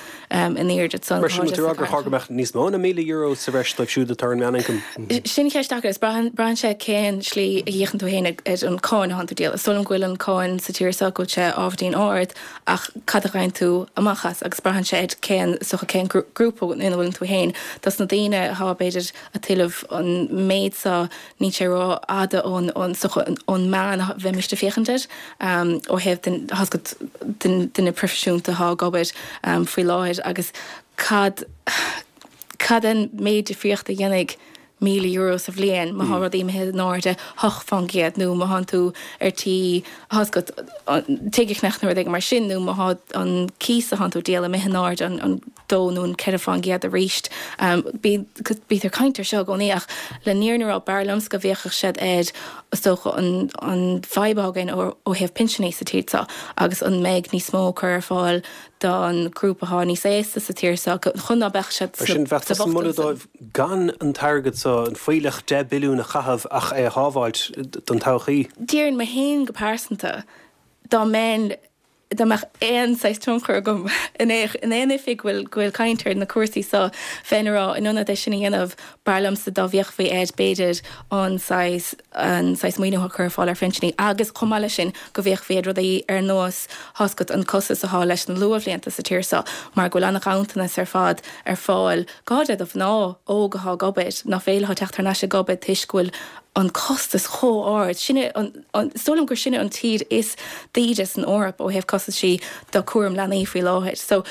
in airde ansan. Mar sin, bhfuil tú ag rá gur chóir go mbeadh níos mó ná €1,000 sa bhreis dóibh siúd atá ar an meánioncam? Sin ceist deacair. Is braitheann braitheann sé cén slí a fhéachann tú féin ar an cáin athánn tú ag díol. Is dóigh liom go bhfuil an cáin sa tír seo go bhfuil sé ábhairín ard Ach cad a gheibheann tú amach as? Agus braitheann sé ar cén, is dócha, cén grúpa ina bhfuileann tú féin. Dos na daoine athá, b'fhéidir, a' tuilleamh an méid so, níl sé ró-fhada ón, ón, is dócha, ón meán a bheimíst ag féachaint air, ó thaobh den, tá 's agat, den duine proifisiúnta athá ag obair faoi láthair. Agus cad, cad é an méid difríochta a dhéanfaidh €1,000 sa bhliain má thá rudaí imithe in airde 8% nó má thánn tú ar tí tá 's agat tigh a cheannach nó rud éigin mar sin nó má thá an cíos a thánn tú ag díol imithe in airde an 2 nó an 4% arís. Bítear ag caint ar seo i gcónaí ach le fírinne a rá b'fhearr liomsa go bhféachfadh siad ar is dócha an an fadhb atá againn ó thaobh pinseanna sa tír seo agus an mbeidh níos mó cur ar fáil. don ghrúpa atá níos aosta sa tír seo chun ná beadh siad Mar sin, bheadh sa tusa ag moladh bhochtanas. dóibh gan an t-airgead so, an fuílleach 10 billiún a chaitheamh ach é a shábháilt don todhchaí? Déarfainn mé féin go pearsanta, dá mbeinn, dá mbeadh aon saghas tionchar agam in aon oifig go bhfuil, go bhfuil caint ar na cúrsaí seo, bheinn a rá, in ionad é sin a dhéanamh, b'fhearr liomsa dá bhféachfaí air, b'fhéidir, an saghas, an saghas maoiniú a chur ar fáil ar phinsiní agus chomh maith leis sin go bhféachfaí ar rudaí ar nós tá's agat an costas atá leis na luathbhlianta sa tír seo mar go bhfuil an-ghanntanas ar fad ar fáil go háirithe do mhná óga atá ag obair nach féidir leo teacht thar n-ais ag obair toisc go bhfuil an costas chomh ard. Sinne an, an, is dóigh liom gur sinne an tír is daoire san Eoraip ó thaobh costaisí do cúram leanaí faoi láthair. So,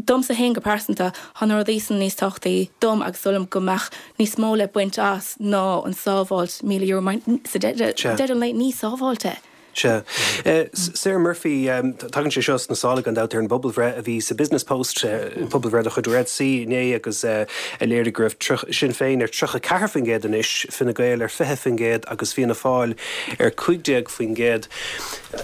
Domsa féin go pearsanta, tá na rudaí san níos tábhachtaí dom agus is dóigh liom go mbeadh níos mó le baint as ná an sábháilt €1,000 mar sa deireadh an lae ní sábháilt é. Sea. Sarah Murphy, tagann sé seo sna sála gan dabht ar an bpobalbhreith a bhí sa Business Post, pobalbhreith de chuid Red C inné agus a léirigh go raibh Sinn Féin ar 34% anois, Fine Gael ar 20% agus Fianna Fáil ar 15%.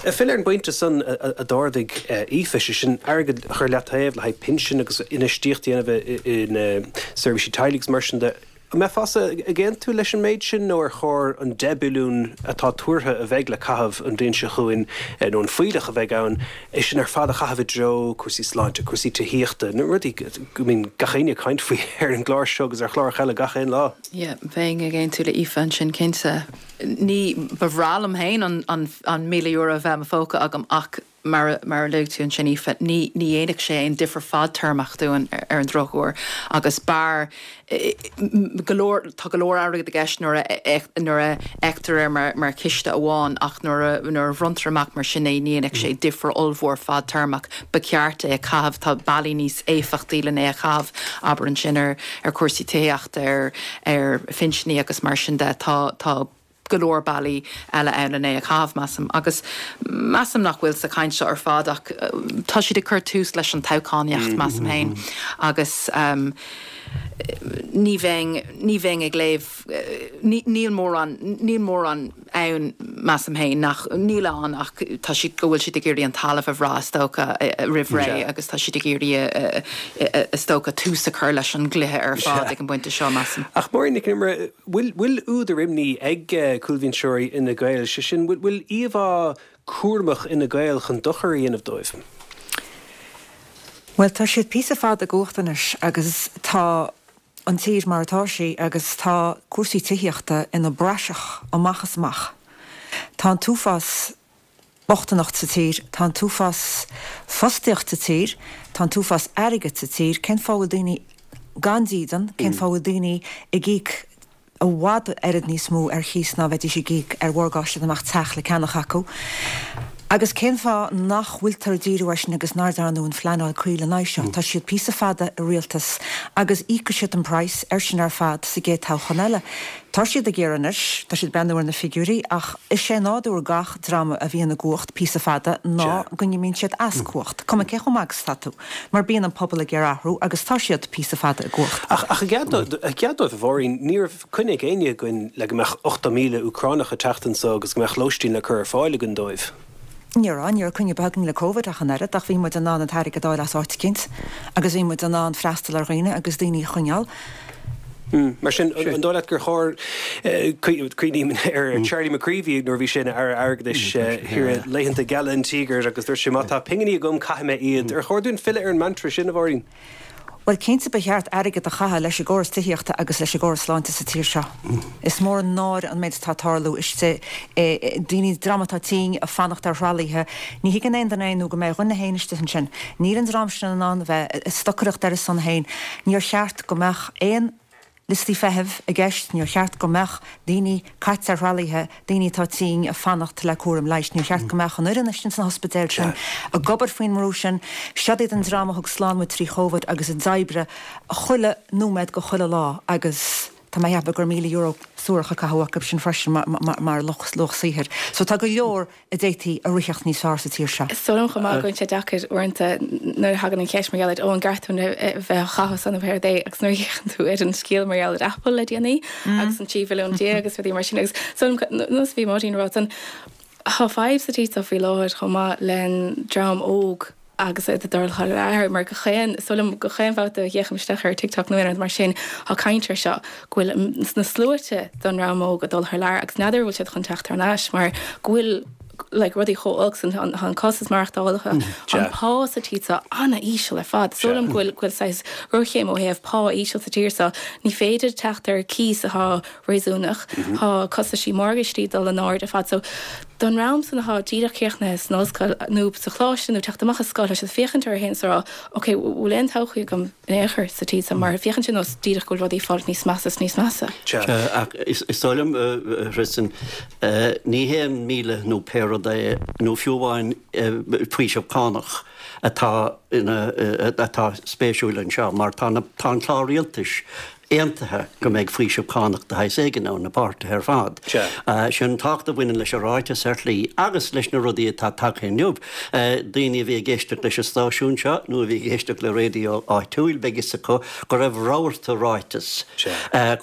Ag filleadh ar an bpointe san a d'ardaigh Aoife, sé sin airgead a chur leataobh le haghaidh pinsin agus infheistíocht a dhéanamh in seirbhísí teaghlaigh agus mar sin de, an mbeifeása ag aontú leis an méid sin nó ar chóir an 10 billiún atá tuartha a bheidh le caitheamh an bhliain seo chugainn, nó an fuílleach a bheidh ann, é sin ar fad a chaitheamh i dtreo cúrsaí sláinte, cúrsaí tithíochta, na rudaí go mbíonn gach éinne ag caint faoi ar an gclár seo agus ar chláracha eile gach aon lá? Yeah, bheinn ag aontú le Aoife ansin, cinnte. Ní, ba bhreá liom féin an €1,000 a bheith i mo phóca agam ach mar a, mar a luaigh tú ansin Aoife, ní, ní dhéanfadh sé aon difear fadtéarmach dúinn ar an drochuair agus b'fhearr go leor, tá go leor airgid i gceist nuair a, nuair a fheictear é mar, mar chiste amháin ach nuair a, nuair a bhronntar amach mar sin é ní dhéanfadh sé difear ollmhór fadtéarmach. Ba cheart é a chaitheamh, tá bealaí níos éifeachtaí len é a chaitheamh, abair ansin ar, ar chúrsaí tithíochta, ar, ar phinsiní agus mar sin de. Tá, tá go leor bealaí eile ann len é a chaitheamh, measaim. Agus measaim nach bhfuil sa chaint seo ar fad ach tá siad ag cur tús leis an toghchánaíocht, measaim féin. Agus ní bheinn, ní bheinn ag léamh, ní, níl mórán, níl mórán ann, measaim féin, nach, níl ann ach tá siad, go bhfuil siad ag iarraidh an talamh a bhrath, is dócha, roimh ré agus tá siad ag iarraidh, is dócha, tús a chur leis an gcluiche ar fad ag an bpointe seo, measaim. Ach Máirín Nic Con Iomaire, bhfuil, bhfuil údar imní ag cúlbhinseoirí Fhine Gael, sé sin, bhfuil, bhfuil íomhá cúramach Fhine Gael chun dochar a dhéanamh dóibh? Bhuel, tá siad píosa fada i gcumhacht anois agus tá an tír mar atá sí agus tá cúrsaí tithíochta ina bpraiseach amach is amach. Tá an t-uafás bochtaineacht sa tír, tá an t-uafás fostaíocht sa tír, tá an t-uafás airgid sa tír, cén fáth a bhfuil daoine gan dídean, cén fáth a bhfuil daoine ag íoc i bhfad oiread níos mó ar chíos ná bheidís ag íoc ar mhorgáiste dá mbeadh teach le ceannach acu. Agus cén fáth nach bhfuiltear ag díriú air sin agus nár dearnadh an phleanáil cuí lena aghaidh seo? Tá siad píosa fada i rialtas agus íocfaidh siad an praghas air sin ar fad sa gcéad toghchán eile. Tá siad ag iarraidh anois, tá siad ag breathnú ar na figiúirí ach is é nádúr gach dreama a bhíonn i gcumhacht píosa fada ná go n-imíonn siad as cumhacht, cuma cé chomh maith agus atá tú. Mar bíonn an pobal ag iarraidh athrú agus tá siad píosa fada i gcumhacht. Ach i gcead dóibh, a Mháirín, ní raibh coinne ag éinne againn le go mbeadh 80,000 Úcránach ag teacht anso agus go mbeadh lóistín le cur ar fáil againn dóibh. Ní raibh, ní raibh coinne ar bith againn le Covid ach an oiread, ach bhí muid in ann an t-airgead a fháil as áit eicínt agus bhí muid in ann freastal ar dhaoine agus daoine a choinneáil. Mar sin, an dóigh leat gur chóir, cuimhním ar Charlie McCreevy nuair a bhí sé ina Aire Airgeadais thiar i laethanta geala an tíogair agus dúirt sé má tá pinginí agam caithfidh mé iad. Ar chóir dúinn filleadh ar an mantra sin, a Mháirín? Bhuel, cinnte ba cheart airgead a chaitheamh leis an gcóras tithíochta agus leis an gcóras sláinte sa tír seo. Is mór an náire an méid atá ag tarlú istigh, daoine, dream atá tinn, ag fanacht ar thralaithe. Ní thuigeann aon duine é nó go mbeidh a dhuine féin istigh ansin. Níl an dream sin in ann a bheith ag stocaireacht ar a son féin. Níor cheart go mbeadh aon liostaí feithimh i gceist, níor cheart go mbeadh daoine caite ar thralaithe, daoine atá tinn ag fanacht le cúram leighis, níor cheart go mbeadh an fhoireann istigh sna hospidéil sin ag obair faoin mbrú sin. Siod iad an dream a thug slán muid trí Chóvid agus a d'oibrigh chuile nóiméad de chuile lá agus tá mé ag ceapadh gur €1,000 suarach a caitheadh acu sin freisin mar luach saothair. So tá go leor a d'fhéadfaí a ritheacht níos fearr sa tír seo. Is dóigh liom chomh maith go bhfuil sé deacair uaireanta nuair a thagann an cheist mar gheall ar ó an gceart dúinn a bheith á chaitheamh san nó céard é agus nuair a fhéachann tú ar an scéal mar gheall ar Apple le déanaí agus an 13 bhilliún agus rudaí mar sin agus is dóigh liom nós a bhí Máirín a rá san tá fadhb sa tír seo faoi láthair chomh maith le dream óg. Agus iad ag dul thar lear, mar gach aon, is dóigh liom, gach aon bhabhta a fhéachaim isteach ar TikTok nó aon rud mar sin, tá caint air seo, go bhfuil na sluaite den dream óg ag dul thar lear agus n'fheadar an bhfuil siad chun teacht thar n-ais mar go bhfuil like rudaí chomh olc san, tá an costas maireachtála, an pá sa tír seo an-íseal ar fad. Is dóigh liom go bhfuil, go bhfuil saghas géarchéim ó thaobh pá íseal sa tír seo. Ní féidir teacht ar cíos atá réasúnach. Tá costaisí morgáistí ag dul in airde ar fad. So, don dream san atá díreach críochnaithe san ollscoil nó sa choláiste nó teacht amach as scoil, tá siad ag féachaint orthu féin is ag rá, ok, bhfuil aon todhchaí agam in aon chor sa tír seo mar féachann sé nós díreach go bhfuil rudaí ag fáil níos measa is níos measa. Sea, ach is dóigh liom, a Thristan, ní haon 1,000 nó pé rud é, nó fiú amháin faoiseamh cánach atá ina, atá spéisiúil anseo mar tá na, tá an clár rialtais aontaithe go mbeidh faoiseamh cánach de shaghas éigin ann, na páirtithe ar fad. Sin an tábhacht a bhaineann leis an ráiteas ar shlí agus leis na rudaí atá tagtha inniu. Daoine a bhí ag éisteacht leis an stáisiún seo nó a bhí ag éisteacht le raidió áitiúil beidh fhios acu go raibh rabharta ráiteas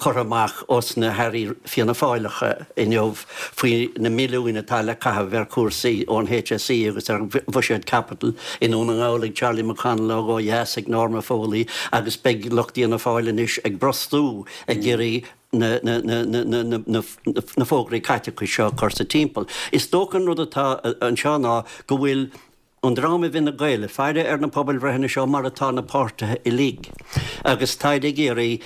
curtha amach ós na hairí Fianna Fáileacha inniu faoi na milliúin atá le caitheamh ar chúrsaí ón HSE agus ar bhuiséad caipitil i nDún na nGall ag Charlie McConalogue ó dheas ag Norma Foley agus beidh lucht Fhianna Fáil anois ag brostú ag iarraidh na fógraí caiteachais seo a chur sa timpeall. Is dócha an rud atá anseo ná go bhfuil an dream i bhFine Gael ag faire ar na pobalbhreitheanna seo mar atá na páirtithe uilig agus táid ag iarraidh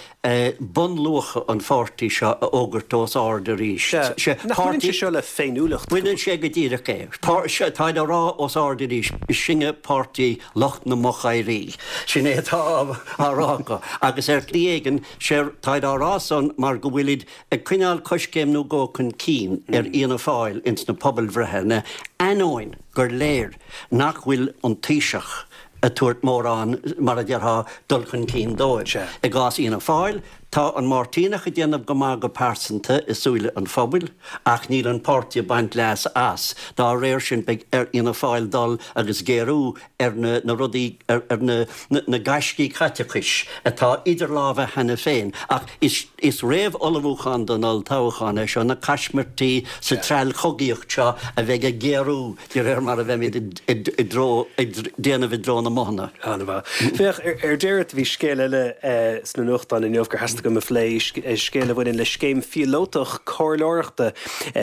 bunluacha an pháirtí seo a fhógairt os ard arís. Sea, nach mbaineann sé seo le féiniúlacht? Baineann sé go díreach é. Táid á rá os ard arís, sinne páirtí lucht na mochoidhrí. Sin é atá á rá acu. Agus ar shlí éigin, táid á rá san mar go bhfuilid ag coinneáil coiscéim nó dhó chun cinn ar Fhianna Fáil ins na pobalbhreitheanna, ainneoin gur léir nach bhfuil an Taoiseach ag tabhairt mórán, mar a déarfá, dul chun cinn dóibh. I gcás Fhianna Fáil, tá an Máirtíneach ag déanamh go maith go pearsanta i súile an phobail, ach níl an páirtí ag baint leas as. Dá réir sin, beidh ar Fhianna Fáil dul agus géarú ar na rudaí, ar na gaiscí caiteachais atá idir lámha cheana féin. Ach is réamh-ullmhúchán don olltoghchán é seo, na caismirtí sa treallchogaíocht seo a bheidh ag géarú de réir mar a bheimid i dtreo, ag déanamh i dtreo na mbothanna. An-mhaith. Féach, ar deireadh, bhí scéal eile sna nuachtáin inniu gur theastaigh uaim a phlé, scéal a bhaineann le scéim phíolótach comhairleoireachta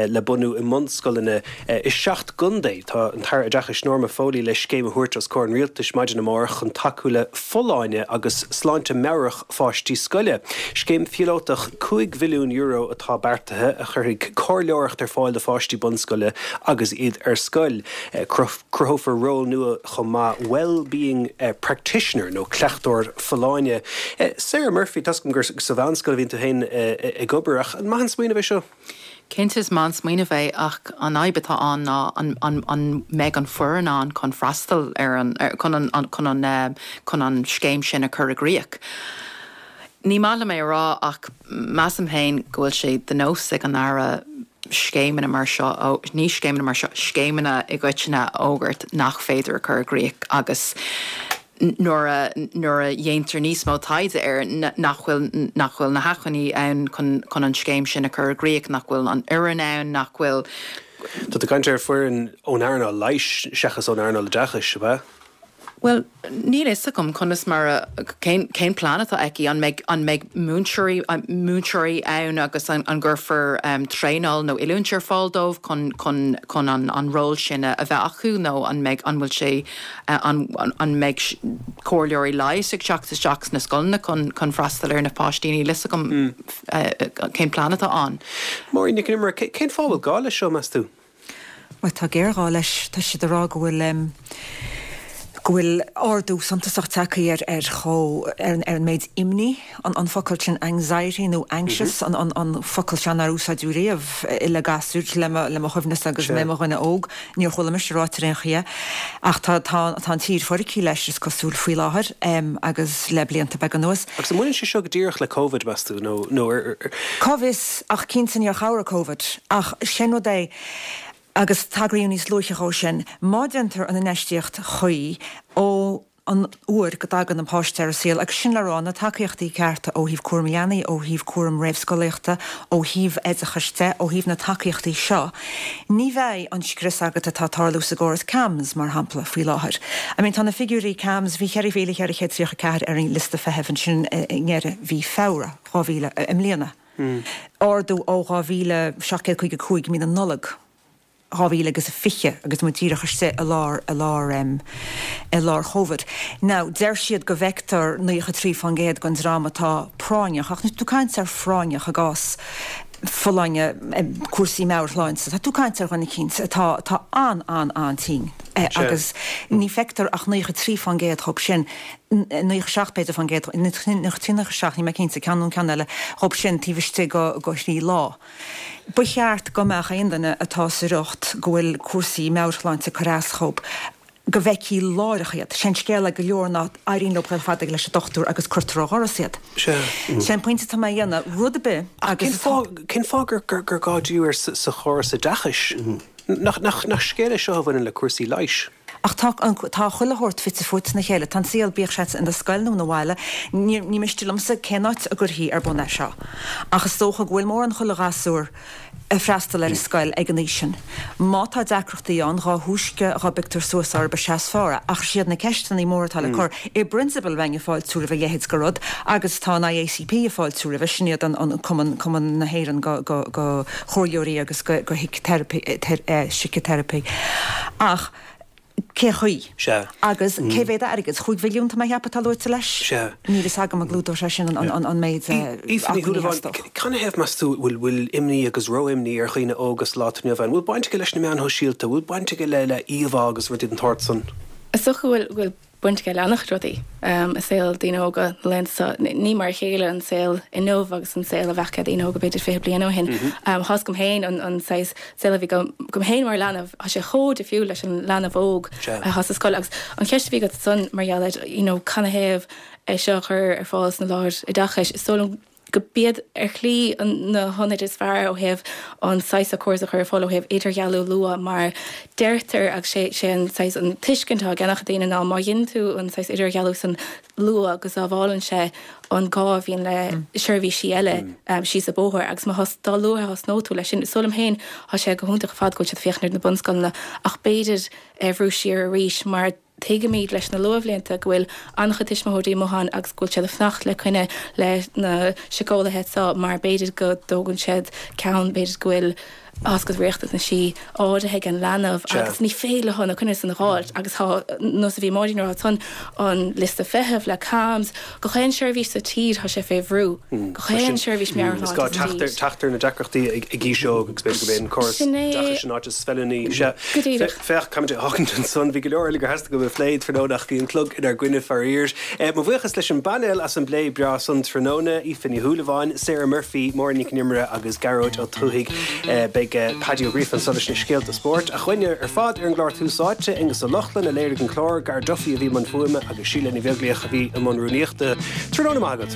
le bunú i mbunscoileanna I seacht gcontae, tá an tAire Oideachais Norma Foley le scéim a thabhairt os comhair an Rialtais maidin amárach chun tacú le folláine agus sláinte meabhrach pháistí scoile. Scéim phíolótach €5 mhilliún atá beartaithe a chuirfidh comhairleoireacht ar fáil do pháistí bunscoile agus iad ar scoil. Cruthófar ról nua chomh maith, Well-being Practitioner nó cleachtóir folláine. Sarah Murphy, tá's agam gur sa mheánscoil a bhíonn tú féin ag obair ach an maith an smaoineamh é seo? Cinnte is maith an smaoineamh é ach an fhadhb atá ann ná an an mbeidh an foireann ann chun freastal ar an chun an chun an chun an scéim sin a chur i gcrích. Ní maith liom é a rá ach measaim féin go bhfuil sé de nós ag an Aire scéimeanna mar seo, ní scéimeanna mar seo, scéimeanna i gcoitinne a fhógairt nach féidir a chur i gcrích agus nuair a nuair a dhéantar níos mó taighde air nach bhfuil nach bhfuil na hacmhainní ann chun chun an scéim sin a chur i gcrích, nach bhfuil an fhoireann ann, nach bhfuil. Tá tú ag caint ar foireann ón earnáil leighis seachas ón earnáil oideachais, ab ea? Bhuel, níl a fhios agam conas mar a, cén cén plean atá aici, an mbeidh an mbeidh múinteoirí múinteoirí ann agus an an gcuirfear traenáil nó oiliúint ar fáil dóibh chun chun chun an an ról sin a bheith acu nó an mbeidh an bhfuil sé An mbeidh comhairleoirí leighis ag teacht isteach sna scoileanna chun freastal ar na páistí? Níl a fhios agam cén plean atá ann. Máirín Nic an Iomaire, cén fáth a bhfuil gá leis seo, meas tú? Bhuel, tá géarghá leis. Tá siad ag rá go bhfuil go bhfuil ardú suntasach tagtha ar ar chomh ar an méid imní. An focal sin anxiety nó anxious, an focal seo nár úsáideadh riamh le gasúir le mo chuimhnesa agus mé i mo dhuine óg, níor chuala mise ráite ar aon chaoi é. Ach tá an tír foircthe leis, is cosúil, faoi láthair agus le blianta beaga anuas. Agus an mbaineann sé seo go díreach le Covid, meas tú, nó nó ar. Cá bhfios, ach cinnte níor chabhraigh Covid. Ach sin rud é, agus tagraíodh níos luaithe dhó sin, má déantar an infheistíocht chuí ó. an uair go dtagann an páiste ar an saol, agus sin le rá, na tacaíochtaí cearta ó thaobh cúram leanaí, ó thaobh cúram réamhscolaíochta, ó thaobh oideachais de, ó thaobh na tacaíochtaí seo, ní bheidh an scrios agat atá ag tarlú sa gcóras CAMHS, mar shampla, faoi láthair. I mean, tá na figiúirí CAMHS, bhí 4,434 ar an liosta feithimh ansin i ndeireadh mhí Feabhra 2000, i mbliana, ardú ó 2,755 i mí na Nollag. 2020 agus muid díreach istigh i lár, i lár em, i lár Covid. Now, deir siad go bhfeictear 93% den dream atá práinneach, ach níl tú ag caint ar phráinneach i gcás folláine, em, cúrsaí meabhairshláinte, tá tú ag caint ar dhuine eicínt atá, atá an-an-an-tinn agus ní feictear ach 93% dhób sin, 97 b'fhéidir fán gcéad, 93, 97, níl mé cinnte, ceann nó an ceann eile dhób sin taobh istigh go, go thrí lá. Ba cheart go mbeadh aon duine atá sa riocht go bhfuil cúrsaí meabhairshláinte ag cur as dhób, go bhfeicfí láithreach iad. Sé an scéal le go leor ná éiríonn leo dul fada leis an dochtúir agus cuirtear ó dhoras iad. Sé an pointe atá mé a dhéanamh, rud ar bith agus atá. Cén fáth gur gá díriú air sa chóras oideachais? Nach scéal é seo a bhaineann le cúrsaí leighis? Ach tá an, tá chuile shórt fite fuaite ina chéile. Tá an saol, bíodh sé ina scoil nó ina bhaile, ní, ní miste liomsa cén áit a gcuirfí ar bun é seo. Ach is dócha go bhfuil mórán chuile ghasúr ag freastal ar an scoil ag an aois sin. Má tá deacrachtaí ann, dhá thúisce dhá bpioctar suas orthu is ea is fearr é. Ach is iad na ceisteanna móra atá le cur, i bprionsabal bheinn ag fáiltiú roimh a leithéid de rud agus tá an IACP ag fáiltiú roimhe, sin iad an, an Cumann, Cumann na hÉireann go, go, go chomhairleoirí agus go, go síciteiripe. Ach cé chaoi? Sea. Agus cé mhéad airgead? Chúig mhilliún, tá mé a cheapadh, atá luaite leis? Sea. Níl fhios agam an gclúdóidh sé sin an méid Aoife Ní acmhainní a theastódh. Canathaobh, meas tú, bhfuil bhfuil imní agus ró-imní ar dhaoine óga sa lá atá inniu ann? Bhfuil baint aige leis na meáin shóisialta? Bhfuil baint aige le le íomhá agus rudaí den tsórt san? Is dócha go bhfuil baint aige le an-chuid rudaí i saol daoine óga na laethanta seo. Ní mar a chéile an saol inniu agus an saol a bheadh ag daoine óga b'fhéidir 20 bliain ó shin. Tá 'fhios agam féin an saghas saol a bhí agam féin mar leanbh, tá sé chomh difriúil leis an leanbh óg atá sa scoil. Agus an cheist a bhí agat ansan mar gheall ar you know canathaobh é seo a chur ar fáil sna láthair oideachais, is dóigh liom go b'iad ar shlí na hionaid is fearr ó thaobh an saghas seo córas a chur ar fáil ó thaobh idirdhealú luath mar deirtear agus sé sé an saghas an tuiscint atá ag an-chuid daoine ná má dhéanann tú an saghas idirdhealú san luath go sábhálann sé an gá a bhíonn le seirbhísí eile síos an bóthar agus má thos dá luaithe a thosnóidh tú leis sin is dóigh liom féin tá sé go hiontach ar fad go bhfuil siad ag féachaint ar na bunscoileanna ach b'fhéidir é a bhrú siar arís mar Tuigimid leis na luathbhlianta go bhfuil an-chuid tuismitheoirí amuigh ann agus go bhfuil siad ag fanacht le coinne leis na síceolaithe seo mar b'fhéidir go dtógann siad ceann, b'fhéidir go bhfuil tá riachtanaisí áirithe ag an leanbh agus ní féidir leo na coinne san a dh'fháilt agus tá nós a bhí Máirín a rá ansan an liosta feithimh le CAMHS, gach aon seirbhís sa tír tá sé fé bhrú, gach aon seirbhís meabhairshláinte sa tír. Is gá teacht ar na deacrachtaí ag aois óg agus b'fhéidir gurb é an córas oideachais an áit is feiliúnaí. Sea. Go díreach. Féach, caithfimid a fhágaint ansan. Bhí go leor eile gur theastaigh uaim a phlé tráthnóna ach bhí an clog inár gcoinne faraor. Mo bhuíochas leis an bpainéal as an bplé breá san tráthnóna, Aoife Ní Shúilleabháin, Sarah Murphy, Máire Nic an Iomaire agus Gearóid Ó Tuathaigh. Beidh Paddy Ó Gríofa anso leis na scéalta spóirt. Ach uainne ar fad ar an gclár Tús Áite, Aonghus Ó Lochlainn a léirigh an clár, Gar Duffy a bhí i mbun fuaime agus Síle Ní Bheaglaoich a bhí i mbun rúnaíochta. Tráthnóna maith agat.